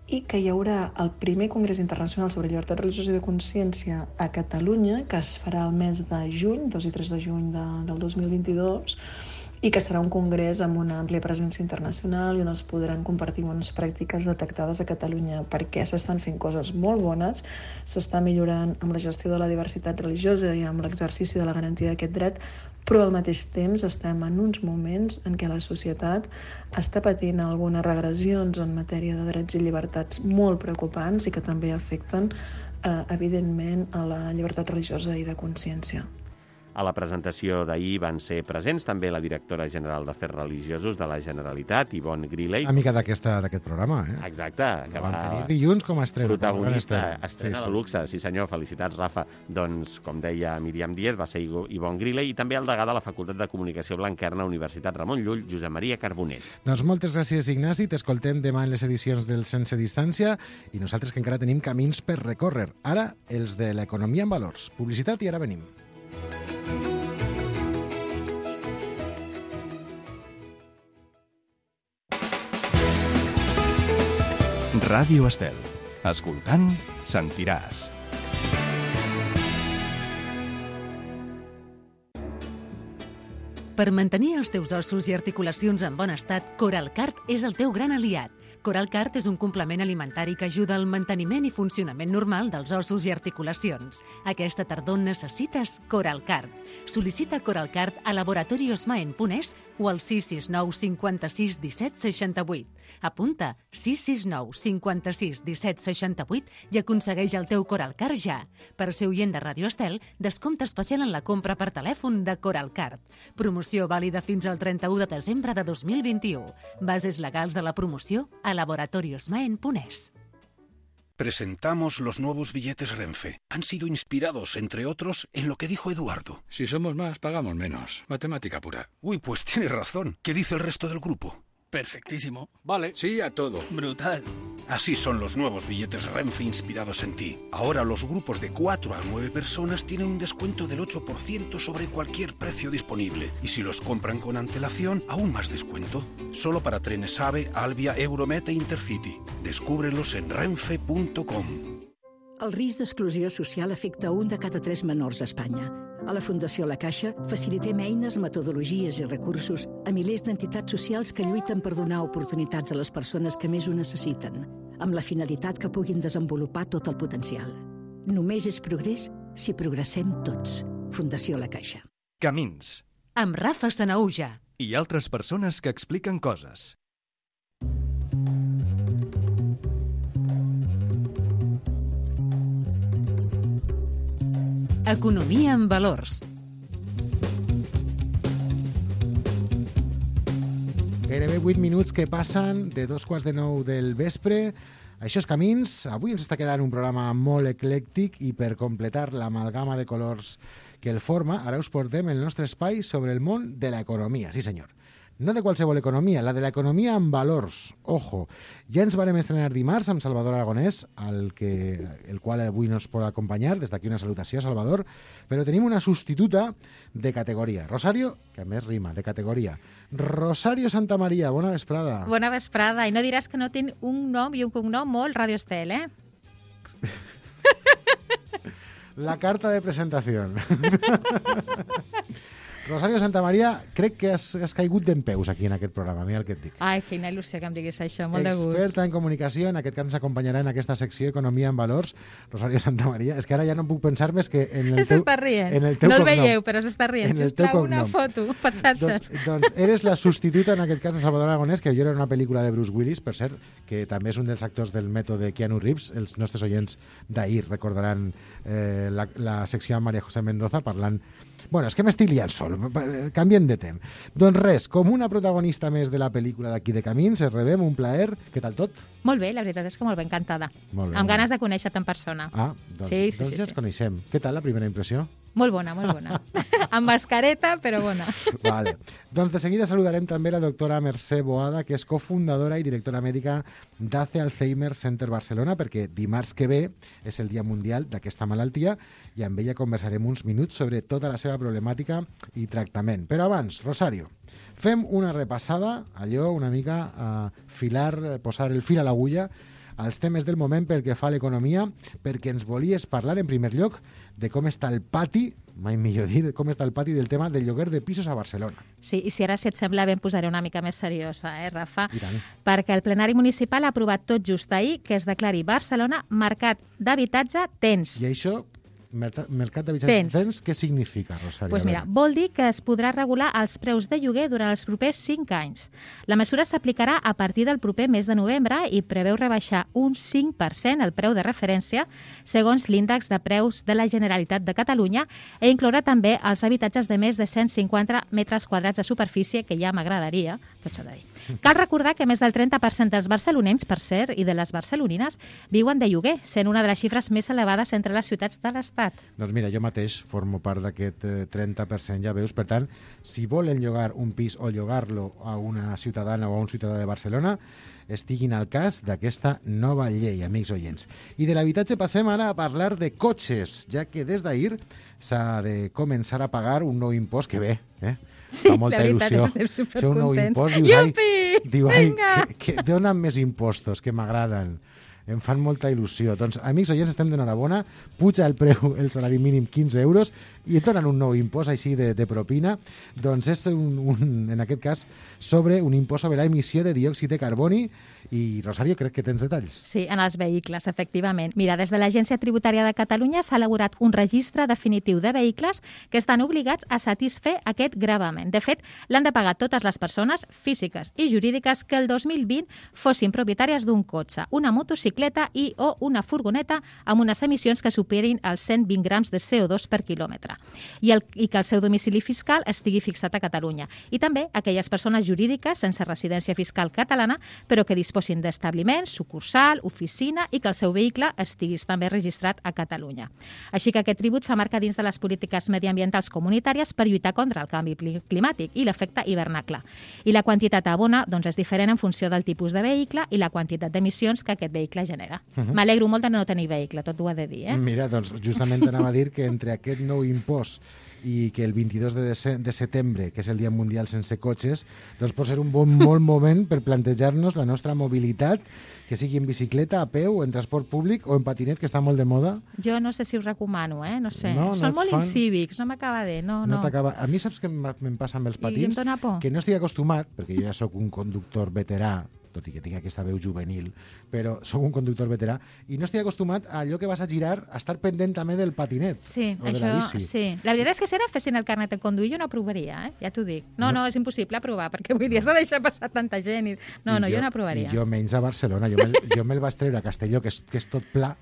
i que hi haurà el primer Congrés Internacional sobre Llibertat Religiosa i de Consciència a Catalunya, que es farà el mes de juny, dos i tres de juny de, del dos mil vint-i-dos, i que serà un congrés amb una àmplia presència internacional i on es podran compartir bones pràctiques detectades a Catalunya, perquè s'estan fent coses molt bones, s'està millorant amb la gestió de la diversitat religiosa i amb l'exercici de la garantia d'aquest dret, però al mateix temps estem en uns moments en què la societat està patint algunes regressions en matèria de drets i llibertats molt preocupants i que també afecten, eh, evidentment, a la llibertat religiosa i de consciència. A la presentació d'ahir van ser presents també la directora general d'Afers Religiosos de la Generalitat, Yvonne Grilly. Amiga d'aquesta d'aquest programa, eh? Exacte. Que va tenir dilluns com a estrena. Protagonista, estrena sí, sí. de luxe, sí senyor, felicitats, Rafa. Doncs, com deia Míriam Díez, va ser Yvonne Grilly i també el degà de la Facultat de Comunicació Blanquerna, Universitat Ramon Llull, Josep Maria Carbonell. Doncs moltes gràcies, Ignasi. T'escoltem demà en les edicions del Sense Distància i nosaltres que encara tenim camins per recórrer. Ara, els de l'economia en valors. Publicitat i ara venim. Ràdio Estel. Escoltant, sentiràs. Per mantenir els teus ossos i articulacions en bon estat, Coralcart és el teu gran aliat. Coralcart és un complement alimentari que ajuda al manteniment i funcionament normal dels ossos i articulacions. Aquesta tardor necessites Coralcart. Sol·licita Coralcart a laboratoriosmaen punt es o al sis sis nou cinquanta-sis disset seixanta-vuit. Apunta sis sis nou cinquanta-sis disset seixanta-vuit i aconsegueix el teu Coralcart ja. Per ser oient de Ràdio Estel, descompte especial en la compra per telèfon de Coralcart. Promoció vàlida fins al trenta-u de desembre de dos mil vint-i-u. Bases legals de la promoció a laboratoriosmaen punt es. Presentamos los nuevos billetes Renfe. Han sido inspirados, entre otros, en lo que dijo Eduardo. Si somos más, pagamos menos. Matemática pura. Uy, pues tiene razón. ¿Qué dice el resto del grupo? Perfectísimo. Vale. Sí a todo. Brutal. Así son los nuevos billetes Renfe inspirados en ti. Ahora los grupos de cuatro a nueve personas tienen un descuento del ocho por ciento sobre cualquier precio disponible. Y si los compran con antelación, aún más descuento. Solo para trenes AVE, Alvia, Euromet e Intercity. Descúbrelos en renfe punto com. El risc d'exclusió social afecta un de cada tres menors a Espanya. A la Fundació La Caixa facilitem eines, metodologies i recursos a milers d'entitats socials que lluiten per donar oportunitats a les persones que més ho necessiten, amb la finalitat que puguin desenvolupar tot el potencial. Només és progrés si progressem tots. Fundació La Caixa. Camins. Amb Rafa Sanaúja. I altres persones que expliquen coses. Economia en valors. Gairebé vuit minuts que passen de dos quarts de nou del vespre. Això és Camins. Avui ens està quedant un programa molt eclèctic i per completar l'amalgama de colors que el forma, ara us portem el nostre espai sobre el món de l'economia. Sí, senyor. No de qualsevol economia, la de l'economia amb valors. Ojo, ja ens varem estrenar dimarts amb Salvador Aragonès, el, que, el qual avui nos pot acompanyar. Des d'aquí una salutació, Salvador. Però tenim una substituta de categoria. Rosario, que a més rima, de categoria. Rosario Santamaría, bona vesprada. Bona vesprada. I no diràs que no tinc un nom i un cognom molt Radio Estel, eh? La carta de presentació. Rosario Santamaría, crec que has, has caigut d'empeus aquí en aquest programa, mira el que et dic. Ai, quina il·lusió que em diguis això, molt de gust. Experta en comunicació, en aquest cas ens acompanyarà en aquesta secció Economia en Valors, Rosario Santamaría. És que ara ja no puc pensar més que en el teu, s'està rient. En el teu no el cognom. veieu, però s'està rient. Sisplau, una foto per xarxes. Doncs, doncs eres la substituta, en aquest cas, de Salvador Aragonès, que jo era una pel·lícula de Bruce Willis, per cert, que també és un dels actors del mètode Keanu Reeves. Els nostres oients d'ahir recordaran eh, la, la secció amb María José Mendoza parlant. Bueno, és que m'estic liant sol, canviem de temps. Doncs res, com una protagonista més de la pel·lícula d'aquí de Camins, es rebem, un plaer. Què tal tot? Molt bé, la veritat és que molt bé, encantada. Molt bé, amb molt ganes de conèixer-te en persona. Ah, doncs, sí, sí, doncs sí, ja sí. ens coneixem. Què tal la primera impressió? Molt bona, molt bona. Amb mascareta, però bona. Vale. Doncs de seguida saludarem també la doctora Mercè Boada, que és cofundadora i directora mèdica d'A C E Alzheimer Center Barcelona, perquè dimarts que ve és el Dia Mundial d'aquesta malaltia i amb ella conversarem uns minuts sobre tota la seva problemàtica i tractament. Però abans, Rosario, fem una repassada, allò una mica a filar, posar el fil a l'agulla als temes del moment pel que fa a l'economia, perquè ens volies parlar en primer lloc de com està el pati, mai millor dir, com està el pati del tema del lloguer de pisos a Barcelona. Sí, i si ara, si et sembla bé, em posaré una mica més seriosa, eh, Rafa? I tant. Perquè el plenari municipal ha aprovat tot just ahir que es declari Barcelona mercat d'habitatge tens. I això, mercat d'habitatge tens, què significa, Rosario? Pues mira, vol dir que es podrà regular els preus de lloguer durant els propers cinc anys. La mesura s'aplicarà a partir del proper mes de novembre i preveu rebaixar un cinc per cent el preu de referència segons l'índex de preus de la Generalitat de Catalunya i inclourà també els habitatges de més de cent cinquanta metres quadrats de superfície, que ja m'agradaria, tot s'ha de dir. Cal recordar que més del trenta per cent dels barcelonins, per cert, i de les barcelonines, viuen de lloguer, sent una de les xifres més elevades entre les ciutats de l'Estat. Doncs mira, jo mateix formo part d'aquest trenta per cent, ja veus. Per tant, si volen llogar un pis o llogar-lo a una ciutadana o a un ciutadà de Barcelona, estiguin al cas d'aquesta nova llei, amics oients. I de l'habitatge passem ara a parlar de cotxes, ja que des d'ahir s'ha de començar a pagar un nou impost que ve, eh? Sí, fa molta la veritat, il·lusió. estem supercontents. Un nou impost, dius, Iupi! ai, diu, ai, Vinga! que, que donen més impostos, que m'agraden. Em fan molta il·lusió. Doncs, amics oients, estem d'enhorabona. Puja el preu, el salari mínim, quinze euros, i et donen un nou impost així de, de propina. Doncs és, un, un, en aquest cas, sobre un impost sobre l'emissió de diòxid de carboni. I, Rosario, crec que tens detalls. Sí, en els vehicles, efectivament. Mira, des de l'Agència Tributària de Catalunya s'ha elaborat un registre definitiu de vehicles que estan obligats a satisfer aquest gravamen. De fet, l'han de pagar totes les persones físiques i jurídiques que el dos mil vint fossin propietàries d'un cotxe, una motocicleta i o una furgoneta amb unes emissions que superin els cent vint grams de C O dos per quilòmetre i, el, i que el seu domicili fiscal estigui fixat a Catalunya. I també aquelles persones jurídiques sense residència fiscal catalana però que disposin d'establiment, sucursal, oficina i que el seu vehicle estiguis també registrat a Catalunya. Així que aquest tribut s'amarca dins de les polítiques mediambientals comunitàries per lluitar contra el canvi climàtic i l'efecte hivernacle. I la quantitat a abonar doncs, és diferent en funció del tipus de vehicle i la quantitat d'emissions que aquest vehicle te genera. Mhm. M'alegro molt de no tenir vehicle, tot ho ha de dir, eh? Mira, doncs justament anava a dir que entre aquest nou impost i que el vint-i-dos de, dece- de setembre, que és el Dia Mundial sense cotxes, doncs pot ser un bon molt moment per plantejar-nos la nostra mobilitat, que sigui en bicicleta, a peu, en transport públic o en patinet, que està molt de moda. Jo no sé si ho recomano, eh? No sé. No, no Són ets molt fan? incívics, no m'acaba de... No, No no. t'acaba... A mi saps què em, em passa amb els I em patins? dóna por. Que no estic acostumat, perquè jo ja sóc un conductor veterà, tot i que tinc aquesta veu juvenil, però sóc un conductor veterà, i no estic acostumat a allò que vas a girar, a estar pendent també del patinet Sí, o de això, la bici. sí. La veritat és que si ara fessin el carnet de conduir jo no aprovaria, eh? Ja t'ho dic. No, No. no, és impossible aprovar, perquè vull dir, has de deixar passar tanta gent. I... No, I no, jo, no aprovaria. I jo menys a Barcelona. Jo me'l jo me vaig treure a Castelló, que és, que és tot pla,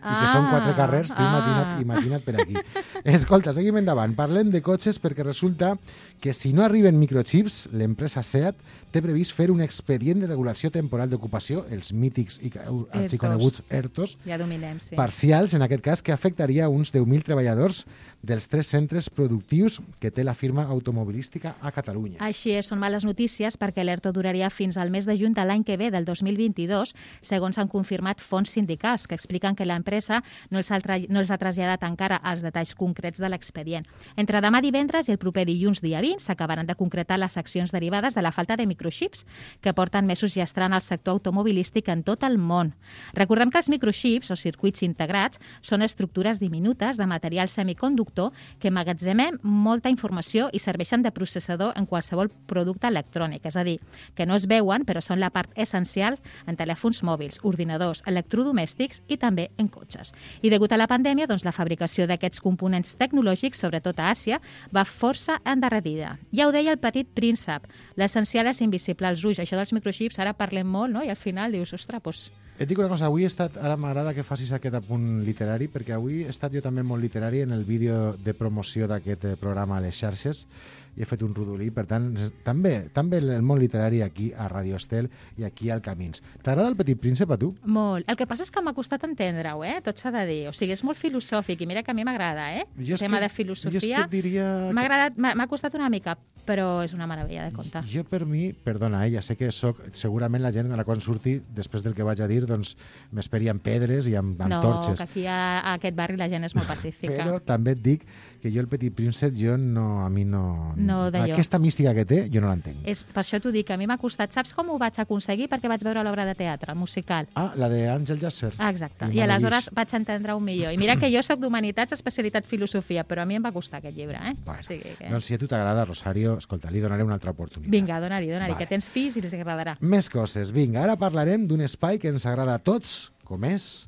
i que són quatre carrers, tu ah. imagina't, imagina't per aquí. Escolta, seguim endavant. Parlem de cotxes perquè resulta que si no arriben microchips, l'empresa SEAT té previst fer un expedient de regulació temporal d'ocupació, els mítics i arxiconeguts ERTOs, Ja dominem, sí. parcials, en aquest cas, que afectaria uns deu mil treballadors dels tres centres productius que té la firma automobilística a Catalunya. Així és, són males notícies perquè l'ERTO duraria fins al mes de juny de l'any que ve, del dos mil vint-i-dos, segons han confirmat fonts sindicals, que expliquen que l'empresa no, els ha tra- no els ha traslladat encara els detalls concrets de l'expedient. Entre demà divendres i el proper dilluns, dia vint, s'acabaran de concretar les accions derivades de la falta de microchips, que porten mesos gestrant el sector automobilístic en tot el món. Recordem que els microchips, o circuits integrats, són estructures diminutes de material semiconductor que emmagatzemem molta informació i serveixen de processador en qualsevol producte electrònic. És a dir, que no es veuen, però són la part essencial en telèfons mòbils, ordinadors, electrodomèstics i també en cotxes. I degut a la pandèmia, doncs, la fabricació d'aquests components tecnològics, sobretot a Àsia, va força endarrerida. Ja ho deia el petit príncep, l'essencial és invisible als ulls. Això dels microchips, ara parlem molt, no? I al final dius, ostres, doncs... Et dic una cosa, avui he estat, ara m'agrada que facis aquest apunt literari, perquè avui he estat jo també molt literari en el vídeo de promoció d'aquest eh, programa a les xarxes, i he fet un rodolí, per tant, també també el món literari aquí a Radio Estel i aquí al Camins. T'agrada el Petit Príncep a tu? Molt. El que passa és que m'ha costat entendre-ho, eh? Tot s'ha de dir. O sigui, és molt filosòfic i mira que a mi m'agrada, eh? Jo El és tema que- de filosofia. jo és que et diria que- M'ha agradat, m'ha m'ha costat una mica, però és una meravella de conte. Jo per mi, perdona, eh, ja sé que soc, segurament la gent a la quan surti, després del que vaig a dir, doncs m'esperi amb pedres i amb, amb No, torxes. que aquí a, a aquest barri la gent és molt pacífica. Però també et dic que jo el Petit Príncep, jo no, a mi no... No, d'allò. Aquesta mística que té, jo no l'entenc. És, per això t'ho dic, a mi m'ha costat. Saps com ho vaig aconseguir? Perquè vaig veure l'obra de teatre, musical. Ah, la d'Àngel Jasser. Ah, exacte. El I aleshores Maravís. vaig entendre-ho millor. I mira que jo sóc d'Humanitats, especialitat filosofia, però a mi em va costar aquest llibre, eh? Bueno, o sigui que... Doncs si a tu t'agrada, Rosario, escolta, li donaré una altra oportunitat. Vinga, dona-li, dona-li, Vale. que tens fills i els agradarà. Més coses. Vinga, ara parlarem d'un espai que ens agrada a tots, com és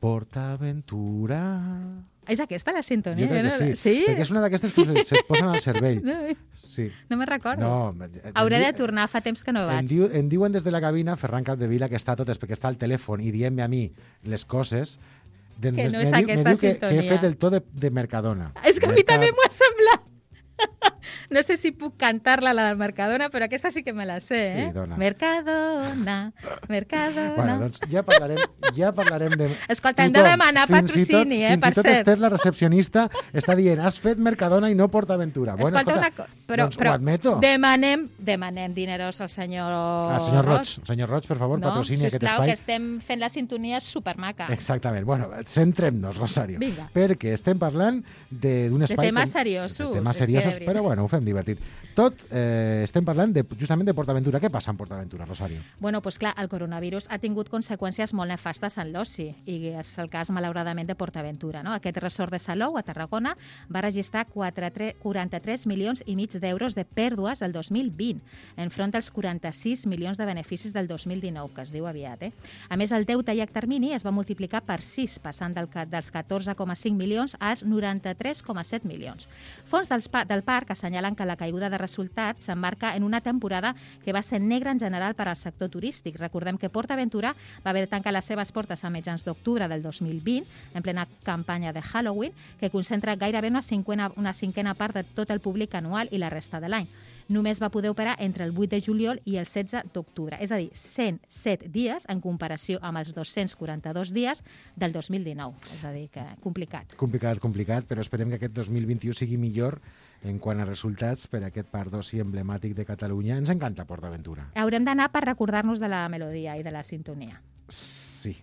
PortAventura. És aquesta la sintonia? Jo crec que no? sí, Sí? perquè és una d'aquestes que se't, se't posen al cervell. No, Sí. no me'n recordo. No, em Hauré di- de tornar, fa temps que no Em, vaig. diu, em diuen des de la cabina, Ferran Capdevila, que està a totes perquè està al telèfon i dient-me a mi les coses. De, Que no me és diu, aquesta me diu que, que he sintonia. fet el to de, de Mercadona. És que a mi Merca- també m'ho ha semblat. No sé si puc cantar-la, la del Mercadona, però aquesta sí que me la sé, eh? Sí, dona. Mercadona, Mercadona... Bueno, doncs ja parlarem, ja parlarem de... Escolta, hem de demanar Fins i tot- patrocini, eh, Fins per i tot cert. Esther, la recepcionista, està dient has fet Mercadona i no PortAventura. Bueno, Escolta, escolta, una cosa, però, doncs però ho admeto. demanem, demanem dineros al senyor Ah, senyor Roig, senyor Roig, per favor, no? patrocini aquest Sisplau, espai. que estem fent la sintonia supermaca. Exactament. Bueno, centrem-nos, Rosario. Vinga. Perquè estem parlant de- d'un De espai... temes com- seriosos, De temes és que, seriosos, de veritat. però bueno, ho fem divertit. Tot eh, estem parlant de, justament de PortAventura. Què passa amb PortAventura, Rosario? Bueno, doncs clar, el coronavirus ha tingut conseqüències molt nefastes en l'oci i és el cas, malauradament, de PortAventura. No? Aquest resort de Salou, a Tarragona, va registrar quaranta-tres milions i mig d'euros de pèrdues del dos mil vint, enfront dels quaranta-sis milions de beneficis del dos mil dinou, que es diu aviat. Eh? A més, el deute a llarg termini es va multiplicar per sis, passant del, ca- dels catorze coma cinc milions als noranta-tres coma set milions. Fons dels pa del parc assenyalen que la caiguda de resultats s'emmarca en una temporada que va ser negra en general per al sector turístic. Recordem que PortAventura va haver de tancar les seves portes a mitjans d'octubre del dos mil vint, en plena campanya de Halloween, que concentra gairebé una cinquena, una cinquena part de tot el públic anual i la resta de l'any. Només va poder operar entre el vuit de juliol i el setze d'octubre, és a dir, cent set dies en comparació amb els dos-cents quaranta-dos dies del dos mil dinou. És a dir, que complicat. Complicat, complicat, però esperem que aquest dos mil vint-i-u sigui millor en quant a resultats per a aquest parc d'oci emblemàtic de Catalunya. Ens encanta PortAventura. Haurem d'anar per recordar-nos de la melodia i de la sintonia. Sí. Sí.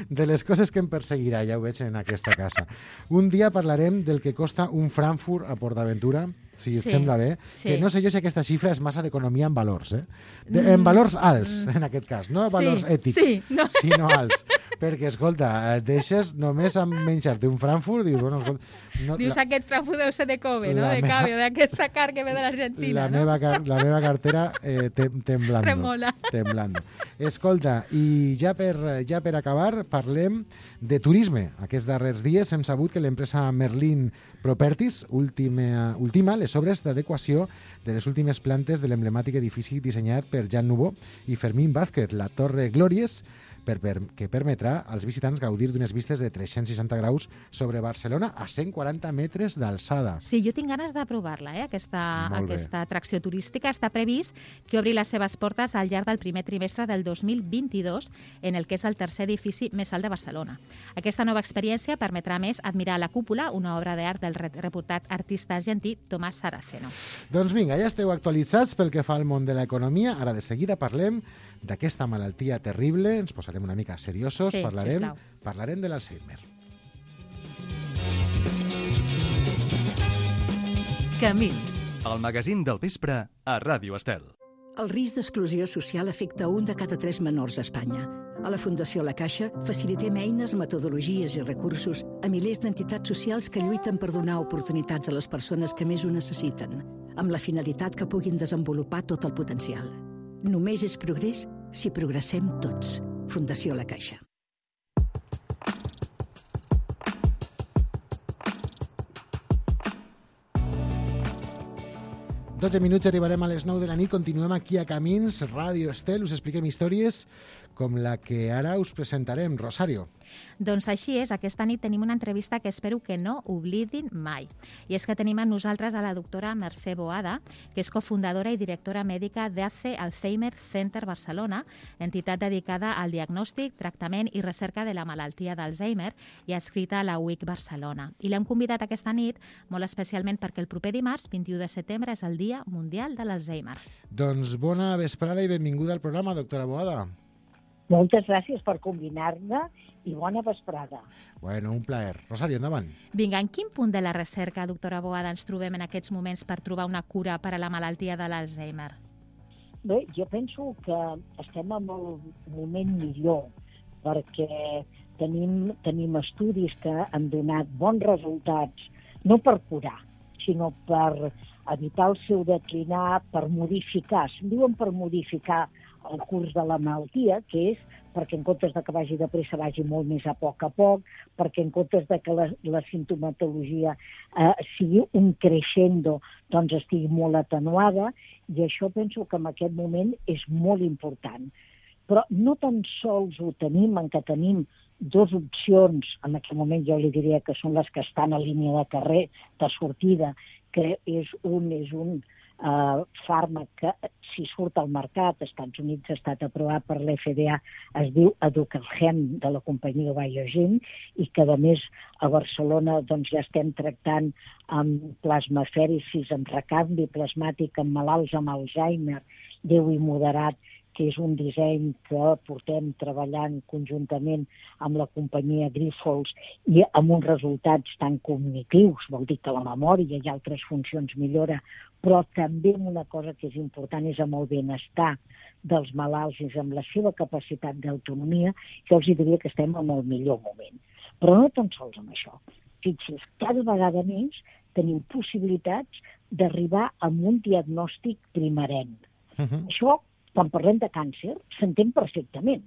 De les coses que em perseguirà, ja ho veig en aquesta casa. Un dia parlarem del que costa un Frankfurt a PortAventura, si et Sí, sembla bé, sí. que no sé jo si aquesta xifra és massa d'economia en valors, eh? De, en valors alts, en aquest cas, no valors Sí, ètics, sí, no. sinó alts. Perquè, escolta, et deixes només amb menjar-te un Frankfurt, dius, bueno, escolta... No, Dius, la, aquest Frankfurt deu ser de Kobe, no? la De meva- Cabe, d'aquesta car que ve de l'Argentina, la, no? meva, car- la meva cartera eh, tem, temblando. Tremola. Temblando. Escolta, i ja per, ja per acabar, parlem de turisme. Aquests darrers dies hem sabut que l'empresa Merlin Properties última, ultima les obres d'adequació de les últimes plantes de l'emblemàtic edifici dissenyat per Jean Nouveau i Fermín Vázquez, la Torre Glòries, per, per, que permetrà als visitants gaudir d'unes vistes de tres-cents seixanta graus sobre Barcelona a cent quaranta metres d'alçada. Sí, jo tinc ganes de provar-la, eh? aquesta, Molt bé. aquesta atracció turística. Està previst que obri les seves portes al llarg del primer trimestre del dos mil vint-i-dos, en el que és el tercer edifici més alt de Barcelona. Aquesta nova experiència permetrà, a més, admirar la cúpula, una obra d'art del re- reputat artista argentí Tomás Saraceno. Doncs vinga, ja esteu actualitzats pel que fa al món de l'economia. Ara de seguida parlem d'aquesta malaltia terrible, ens posarem una mica seriosos, Sí, parlarem, sisplau. parlarem de l'Alzheimer. Camins, el magazín del vespre a Ràdio Estel. El risc d'exclusió social afecta un de cada tres menors a Espanya. A la Fundació La Caixa facilitem eines, metodologies i recursos a milers d'entitats socials que lluiten per donar oportunitats a les persones que més ho necessiten, amb la finalitat que puguin desenvolupar tot el potencial. Només és progrés si progressem tots. Fundació La Caixa. dotze minuts, arribarem a les nou de la nit, continuem aquí a Camins, Ràdio Estel, us expliquem històries com la que ara us presentarem. Rosario. Doncs així és, aquesta nit tenim una entrevista que espero que no oblidin mai. I és que tenim amb nosaltres a la doctora Mercè Boada, que és cofundadora i directora mèdica d'A C E Alzheimer Center Barcelona, entitat dedicada al diagnòstic, tractament i recerca de la malaltia d'Alzheimer i adscrita a la U I C Barcelona. I l'hem convidat aquesta nit molt especialment perquè el proper dimarts, vint-i-u de setembre, és el Dia Mundial de l'Alzheimer. Doncs bona vesprada i benvinguda al programa, doctora Boada. Moltes gràcies per combinar-ne i bona vesprada. Bueno, un plaer. Rosario, endavant. Vinga, en quin punt de la recerca, doctora Boada, ens trobem en aquests moments per trobar una cura per a la malaltia de l'Alzheimer? Bé, jo penso que estem en el moment millor perquè tenim, tenim estudis que han donat bons resultats, no per curar, sinó per evitar el seu declinar, per modificar, se'n diuen per modificar el curs de la malaltia, que és perquè en comptes de que vagi de pressa vagi molt més a poc a poc, perquè en comptes de que la, la sintomatologia eh, sigui un crescendo, doncs estigui molt atenuada, i això penso que en aquest moment és molt important. Però no tan sols ho tenim, en què tenim dues opcions, en aquest moment jo li diria que són les que estan a línia de carrer, de sortida, que és un, és un Uh, fàrmac que, si surt al mercat, als Estats Units ha estat aprovat per l'F D A, es diu Aducangen, de la companyia Biogen, i que, a més, a Barcelona doncs, ja estem tractant amb plasmafèresis, amb recanvi plasmàtic, amb malalts amb Alzheimer, lleu i moderat, que és un disseny que portem treballant conjuntament amb la companyia Grifols i amb uns resultats tan cognitius, vol dir que la memòria i altres funcions millora, però també una cosa que és important és amb el benestar dels malalts i amb la seva capacitat d'autonomia, jo els diria que estem en el millor moment. Però no tan sols amb això. Fixi's, cada vegada més tenim possibilitats d'arribar a un diagnòstic primerenc. Uh-huh. Això, quan parlem de càncer, s'entén perfectament.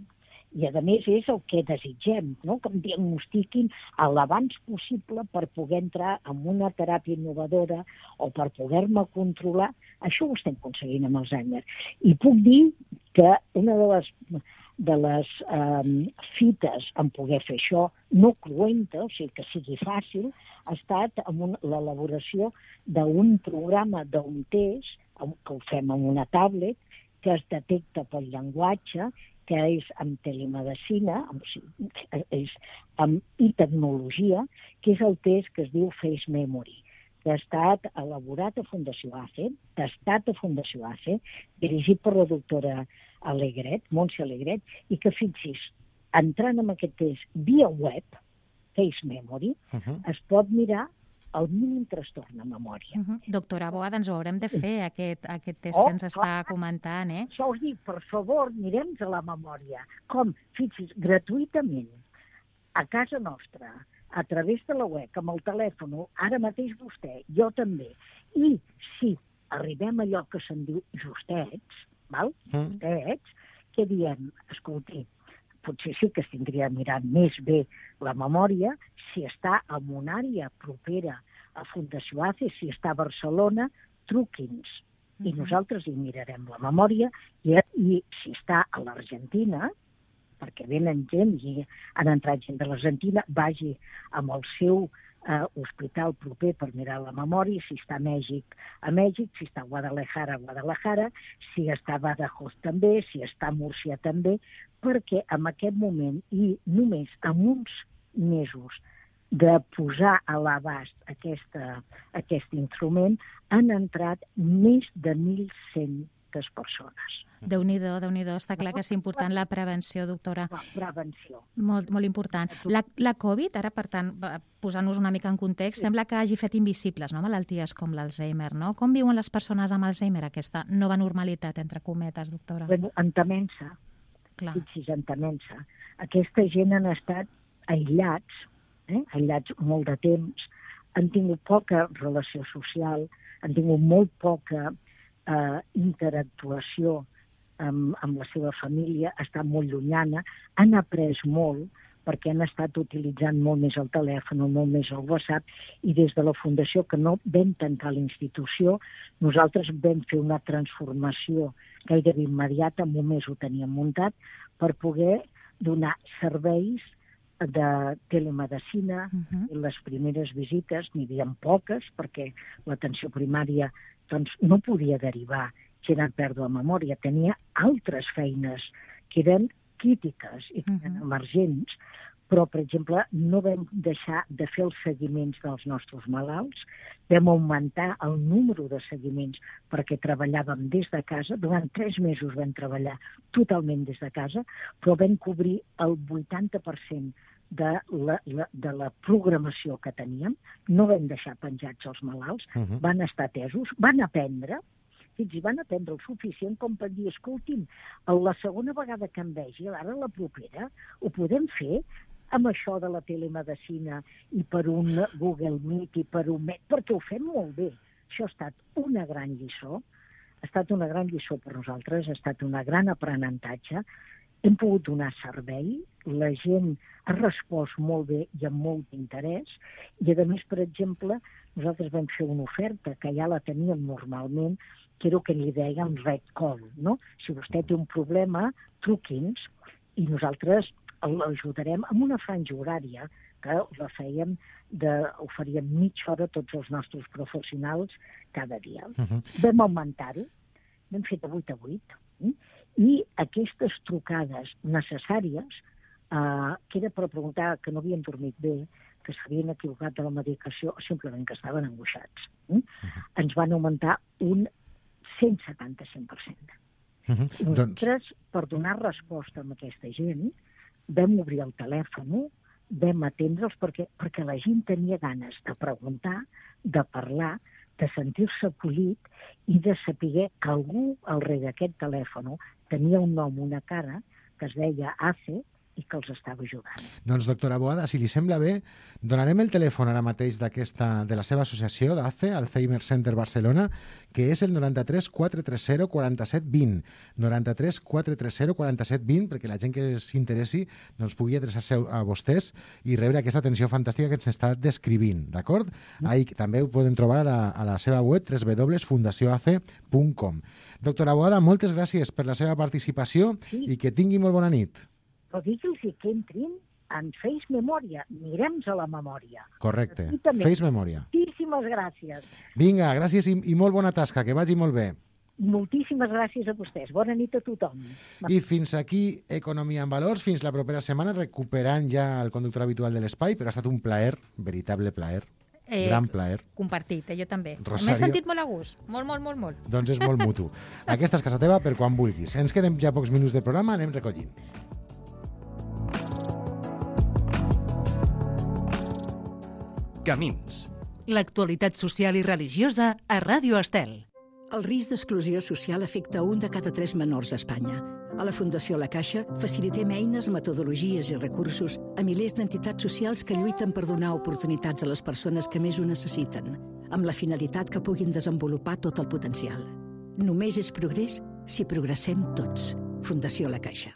I, a més, és el que desitgem, no? Que em diagnostiquin l'abans possible per poder entrar en una teràpia innovadora o per poder-me controlar. Això ho estem aconseguint amb Alzheimer. I puc dir que una de les, de les um, fites en poder fer això, no cruenta, o sigui que sigui fàcil, ha estat amb un, l'elaboració d'un programa d'un test, que ho fem amb una tablet, que es detecta pel llenguatge, que és amb telemedicina, amb, és amb i tecnologia, que és el test que es diu Face Memory. que ha estat elaborat a Fundació A C E, tastat a Fundació A C E, dirigit per la doctora Alegret, Montse Alegret, i que, fixis, entrant en aquest test via web, Face Memory, uh-huh. es pot mirar el mínim trastorn de memòria. Uh-huh. Doctora Boada, ens ho haurem de fer, aquest, aquest test oh, que ens està clar. comentant, eh? Això us dic, per favor, mirem-nos a la memòria. Com? Fixis, gratuïtament, a casa nostra, a través de la web, amb el telèfon, ara mateix vostè, jo també. I si arribem a allò que se'n diu justets, val? Mm. justets, què diem? Escolti, potser sí que es tindria mirat més bé la memòria si està en una àrea propera a Fundació A C E, si està a Barcelona, truqui'ns. Mm-hmm. I nosaltres hi mirarem la memòria i, i si està a l'Argentina, perquè venen gent i han entrat gent de l'Argentina, vagi amb el seu eh, hospital proper per mirar la memòria, si està a Mèxic, a Mèxic, si està a Guadalajara, a Guadalajara, si està a Badajoz també, si està a Múrcia també, perquè en aquest moment i només en uns mesos de posar a l'abast aquesta, aquest instrument han entrat més de mil cent persones. Déu-n'hi-do, Déu-n'hi-do. Està clar que és important la prevenció, doctora. La prevenció. Molt, molt important. La, la Covid, ara, per tant, posant-nos una mica en context, sí. sembla que hagi fet invisibles, no?, malalties com l'Alzheimer, no? Com viuen les persones amb Alzheimer, aquesta nova normalitat, entre cometes, doctora? Bueno, entenent-se. Clar. Fixis, entenent-se. Aquesta gent han estat aïllats, eh? aïllats molt de temps, han tingut poca relació social, han tingut molt poca eh, interactuació amb, amb la seva família, està molt llunyana, han après molt perquè han estat utilitzant molt més el telèfon, molt més el WhatsApp, i des de la Fundació, que no vam tancar la institució, nosaltres vam fer una transformació gairebé immediata, en un mes ho teníem muntat, per poder donar serveis de telemedicina. Uh-huh. I les primeres visites n'hi havia poques, perquè l'atenció primària doncs, no podia derivar si era pèrdua de memòria, tenia altres feines que eren crítiques i que eren uh-huh. emergents, però, per exemple, no vam deixar de fer els seguiments dels nostres malalts, vam augmentar el número de seguiments perquè treballàvem des de casa, durant tres mesos vam treballar totalment des de casa, però vam cobrir el vuitanta per cent de la, la, de la programació que teníem, no vam deixar penjats els malalts, uh-huh. van estar atesos, van aprendre, fins i van aprendre el suficient com per dir, escolti'm, la segona vegada que em vegi, ara la propera, ho podem fer amb això de la telemedicina i per un Google Meet i per un Met, perquè ho fem molt bé. Això ha estat una gran lliçó, ha estat una gran lliçó per nosaltres, ha estat un gran aprenentatge, hem pogut donar servei, la gent ha respost molt bé i amb molt interès, i a més, per exemple, nosaltres vam fer una oferta que ja la teníem normalment, que era el que li deien red call, no? Si vostè té un problema, truqui'ns, i nosaltres l'ajudarem amb una franja horària que la fèiem, de, oferíem mitja hora a tots els nostres professionals cada dia. Uh-huh. Vam augmentar-ho, vam fer de vuit a vuit, eh? I aquestes trucades necessàries, eh, que era per preguntar que no havien dormit bé, que s'havien equivocat de la medicació o simplement que estaven angoixats, eh? Uh-huh. ens van augmentar un cent setanta-cinc per cent. Uh-huh. Nosaltres, doncs... per donar resposta a aquesta gent, vam obrir el telèfon, vam atendre'ls perquè, perquè la gent tenia ganes de preguntar, de parlar, de sentir-se acollit i de saber que algú al rere d'aquest telèfon tenia un nom, una cara, que es deia A C E, i que els estava ajudant. Doncs, doctora Boada, si li sembla bé, donarem el telèfon ara mateix d'aquesta, de la seva associació, d'A C E, Alzheimer Center Barcelona, que és el noranta-tres quatre tres zero quaranta-set vint. noranta-tres quatre tres zero quaranta-set vint, perquè la gent que s'interessi doncs, pugui adreçar-se a vostès i rebre aquesta atenció fantàstica que ens està descrivint, d'acord? Mm. Ahí també ho poden trobar a la, a la seva web, w w w punt fundació a c punt com. Doctora Boada, moltes gràcies per la seva participació sí. i que tingui molt bona nit. Però digue'ls que entrin en Face Memòria. Mirem-nos a la memòria. Correcte. Face Memòria. Moltíssimes gràcies. Vinga, gràcies i, i molt bona tasca. Que vagi molt bé. Moltíssimes gràcies a vostès. Bona nit a tothom. I fins aquí Economia en Valors. Fins la propera setmana, recuperant ja el conductor habitual de l'espai, però ha estat un plaer, veritable plaer. Eh, Gran plaer. Compartit, eh, jo també. Rosario. M'he sentit molt a gust. Molt, molt, molt, molt. Doncs és molt mutu. Aquesta és casa teva per quan vulguis. Ens queden ja pocs minuts de programa, anem recollint. Camins. L'actualitat social i religiosa a Ràdio Estel. El risc d'exclusió social afecta un de cada tres menors a Espanya. A la Fundació La Caixa facilitem eines, metodologies i recursos a milers d'entitats socials que lluiten per donar oportunitats a les persones que més ho necessiten, amb la finalitat que puguin desenvolupar tot el potencial. Només és progrés si progressem tots. Fundació La Caixa.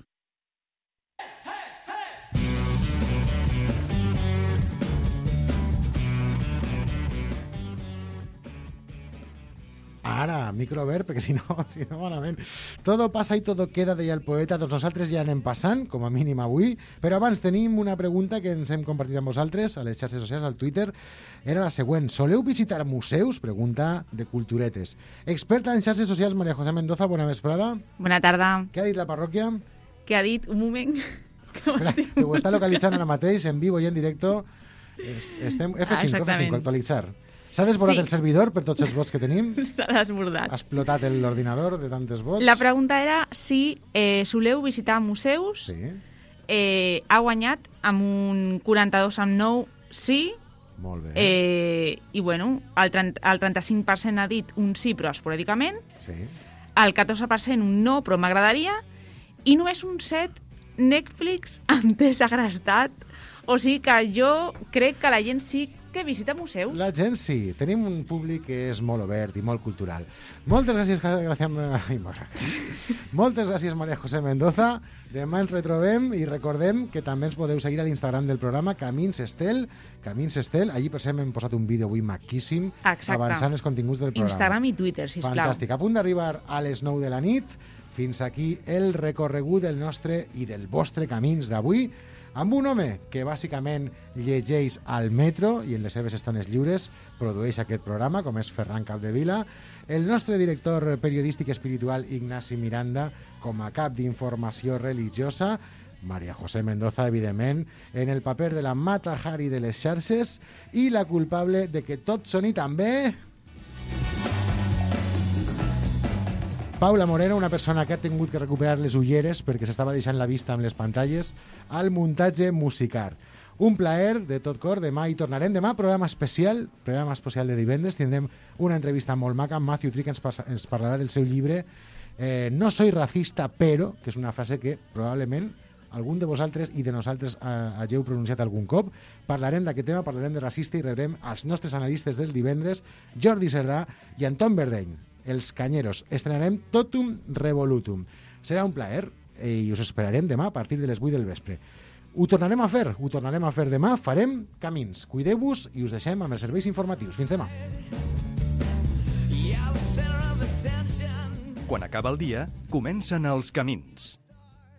Ara, micro obert, perquè si no, si no malament. Todo pasa y todo queda, deia el poeta. Doncs nosaltres ja anem passant, com a mínim avui, però abans tenim una pregunta que ens hem compartit amb vosaltres a les xarxes socials, al Twitter. Era la següent. Soleu visitar museus? Pregunta de Culturetes. Experta en xarxes socials, María José Mendoza, bona vesprada. Bona tarda. Què ha dit la parròquia? Què ha dit? Un moment. Espera, que ho està localitzant ara mateix, en vivo i en directo. Estem F cinc, F cinc, actualitzar. S'ha desbordat sí. el servidor per tots els vots que tenim? S'ha desbordat. Ha explotat l'ordinador de tantes vots? La pregunta era si eh, soleu visitar museus. Sí. Eh, ha guanyat amb un quaranta-dos coma nou sí. Molt bé. Eh, I, bueno, el, trenta, el trenta-cinc per cent ha dit un sí, però esporàdicament. Sí. El catorze per cent un no, però m'agradaria. I només un set Netflix em té segrestat. O sigui que jo crec que la gent sí que visita museus. La gent sí. Tenim un públic que és molt obert i molt cultural. Moltes gràcies, gràcies, ai, moltes gràcies, María José Mendoza. Demà ens retrobem i recordem que també ens podeu seguir a l'Instagram del programa Camins Estel. Camins Estel. Allí, per exemple, hem posat un vídeo avui maquíssim. Exacte. Avançant els continguts del programa. Instagram i Twitter, sisplau. Fantàstic. A punt d'arribar a les nou de la nit. Fins aquí el recorregut del nostre i del vostre Camins d'avui, amb un home que bàsicament llegeix al metro i en les seves estones lliures produeix aquest programa, com és Ferran Capdevila, el nostre director periodístic espiritual Ignasi Miranda, com a cap d'informació religiosa, María José Mendoza, evidentment, en el paper de la Mata Hari de les xarxes i la culpable de que tot soni tan bé... Paula Moreno, una persona que ha tingut que recuperar les ulleres perquè s'estava deixant la vista amb les pantalles al muntatge musical. Un plaer de tot cor. Demà hi tornarem. Demà programa especial, programa especial de divendres. Tindrem una entrevista molt maca amb Matthew Trick, que ens, ens parlarà del seu llibre eh, No soy racista, però, que és una frase que probablement algun de vosaltres i de nosaltres eh, hageu pronunciat algun cop. Parlarem d'aquest tema, parlarem de racista i rebrem els nostres analistes del divendres, Jordi Cerdà i Anton Verdeny. Els Canyeros. Estrenarem Totum Revolutum. Serà un plaer i us esperarem demà a partir de les vuit del vespre. Ho tornarem a fer, ho tornarem a fer demà, farem Camins. Cuideu-vos i us deixem amb els serveis informatius. Fins demà. Quan acaba el dia, comencen els camins.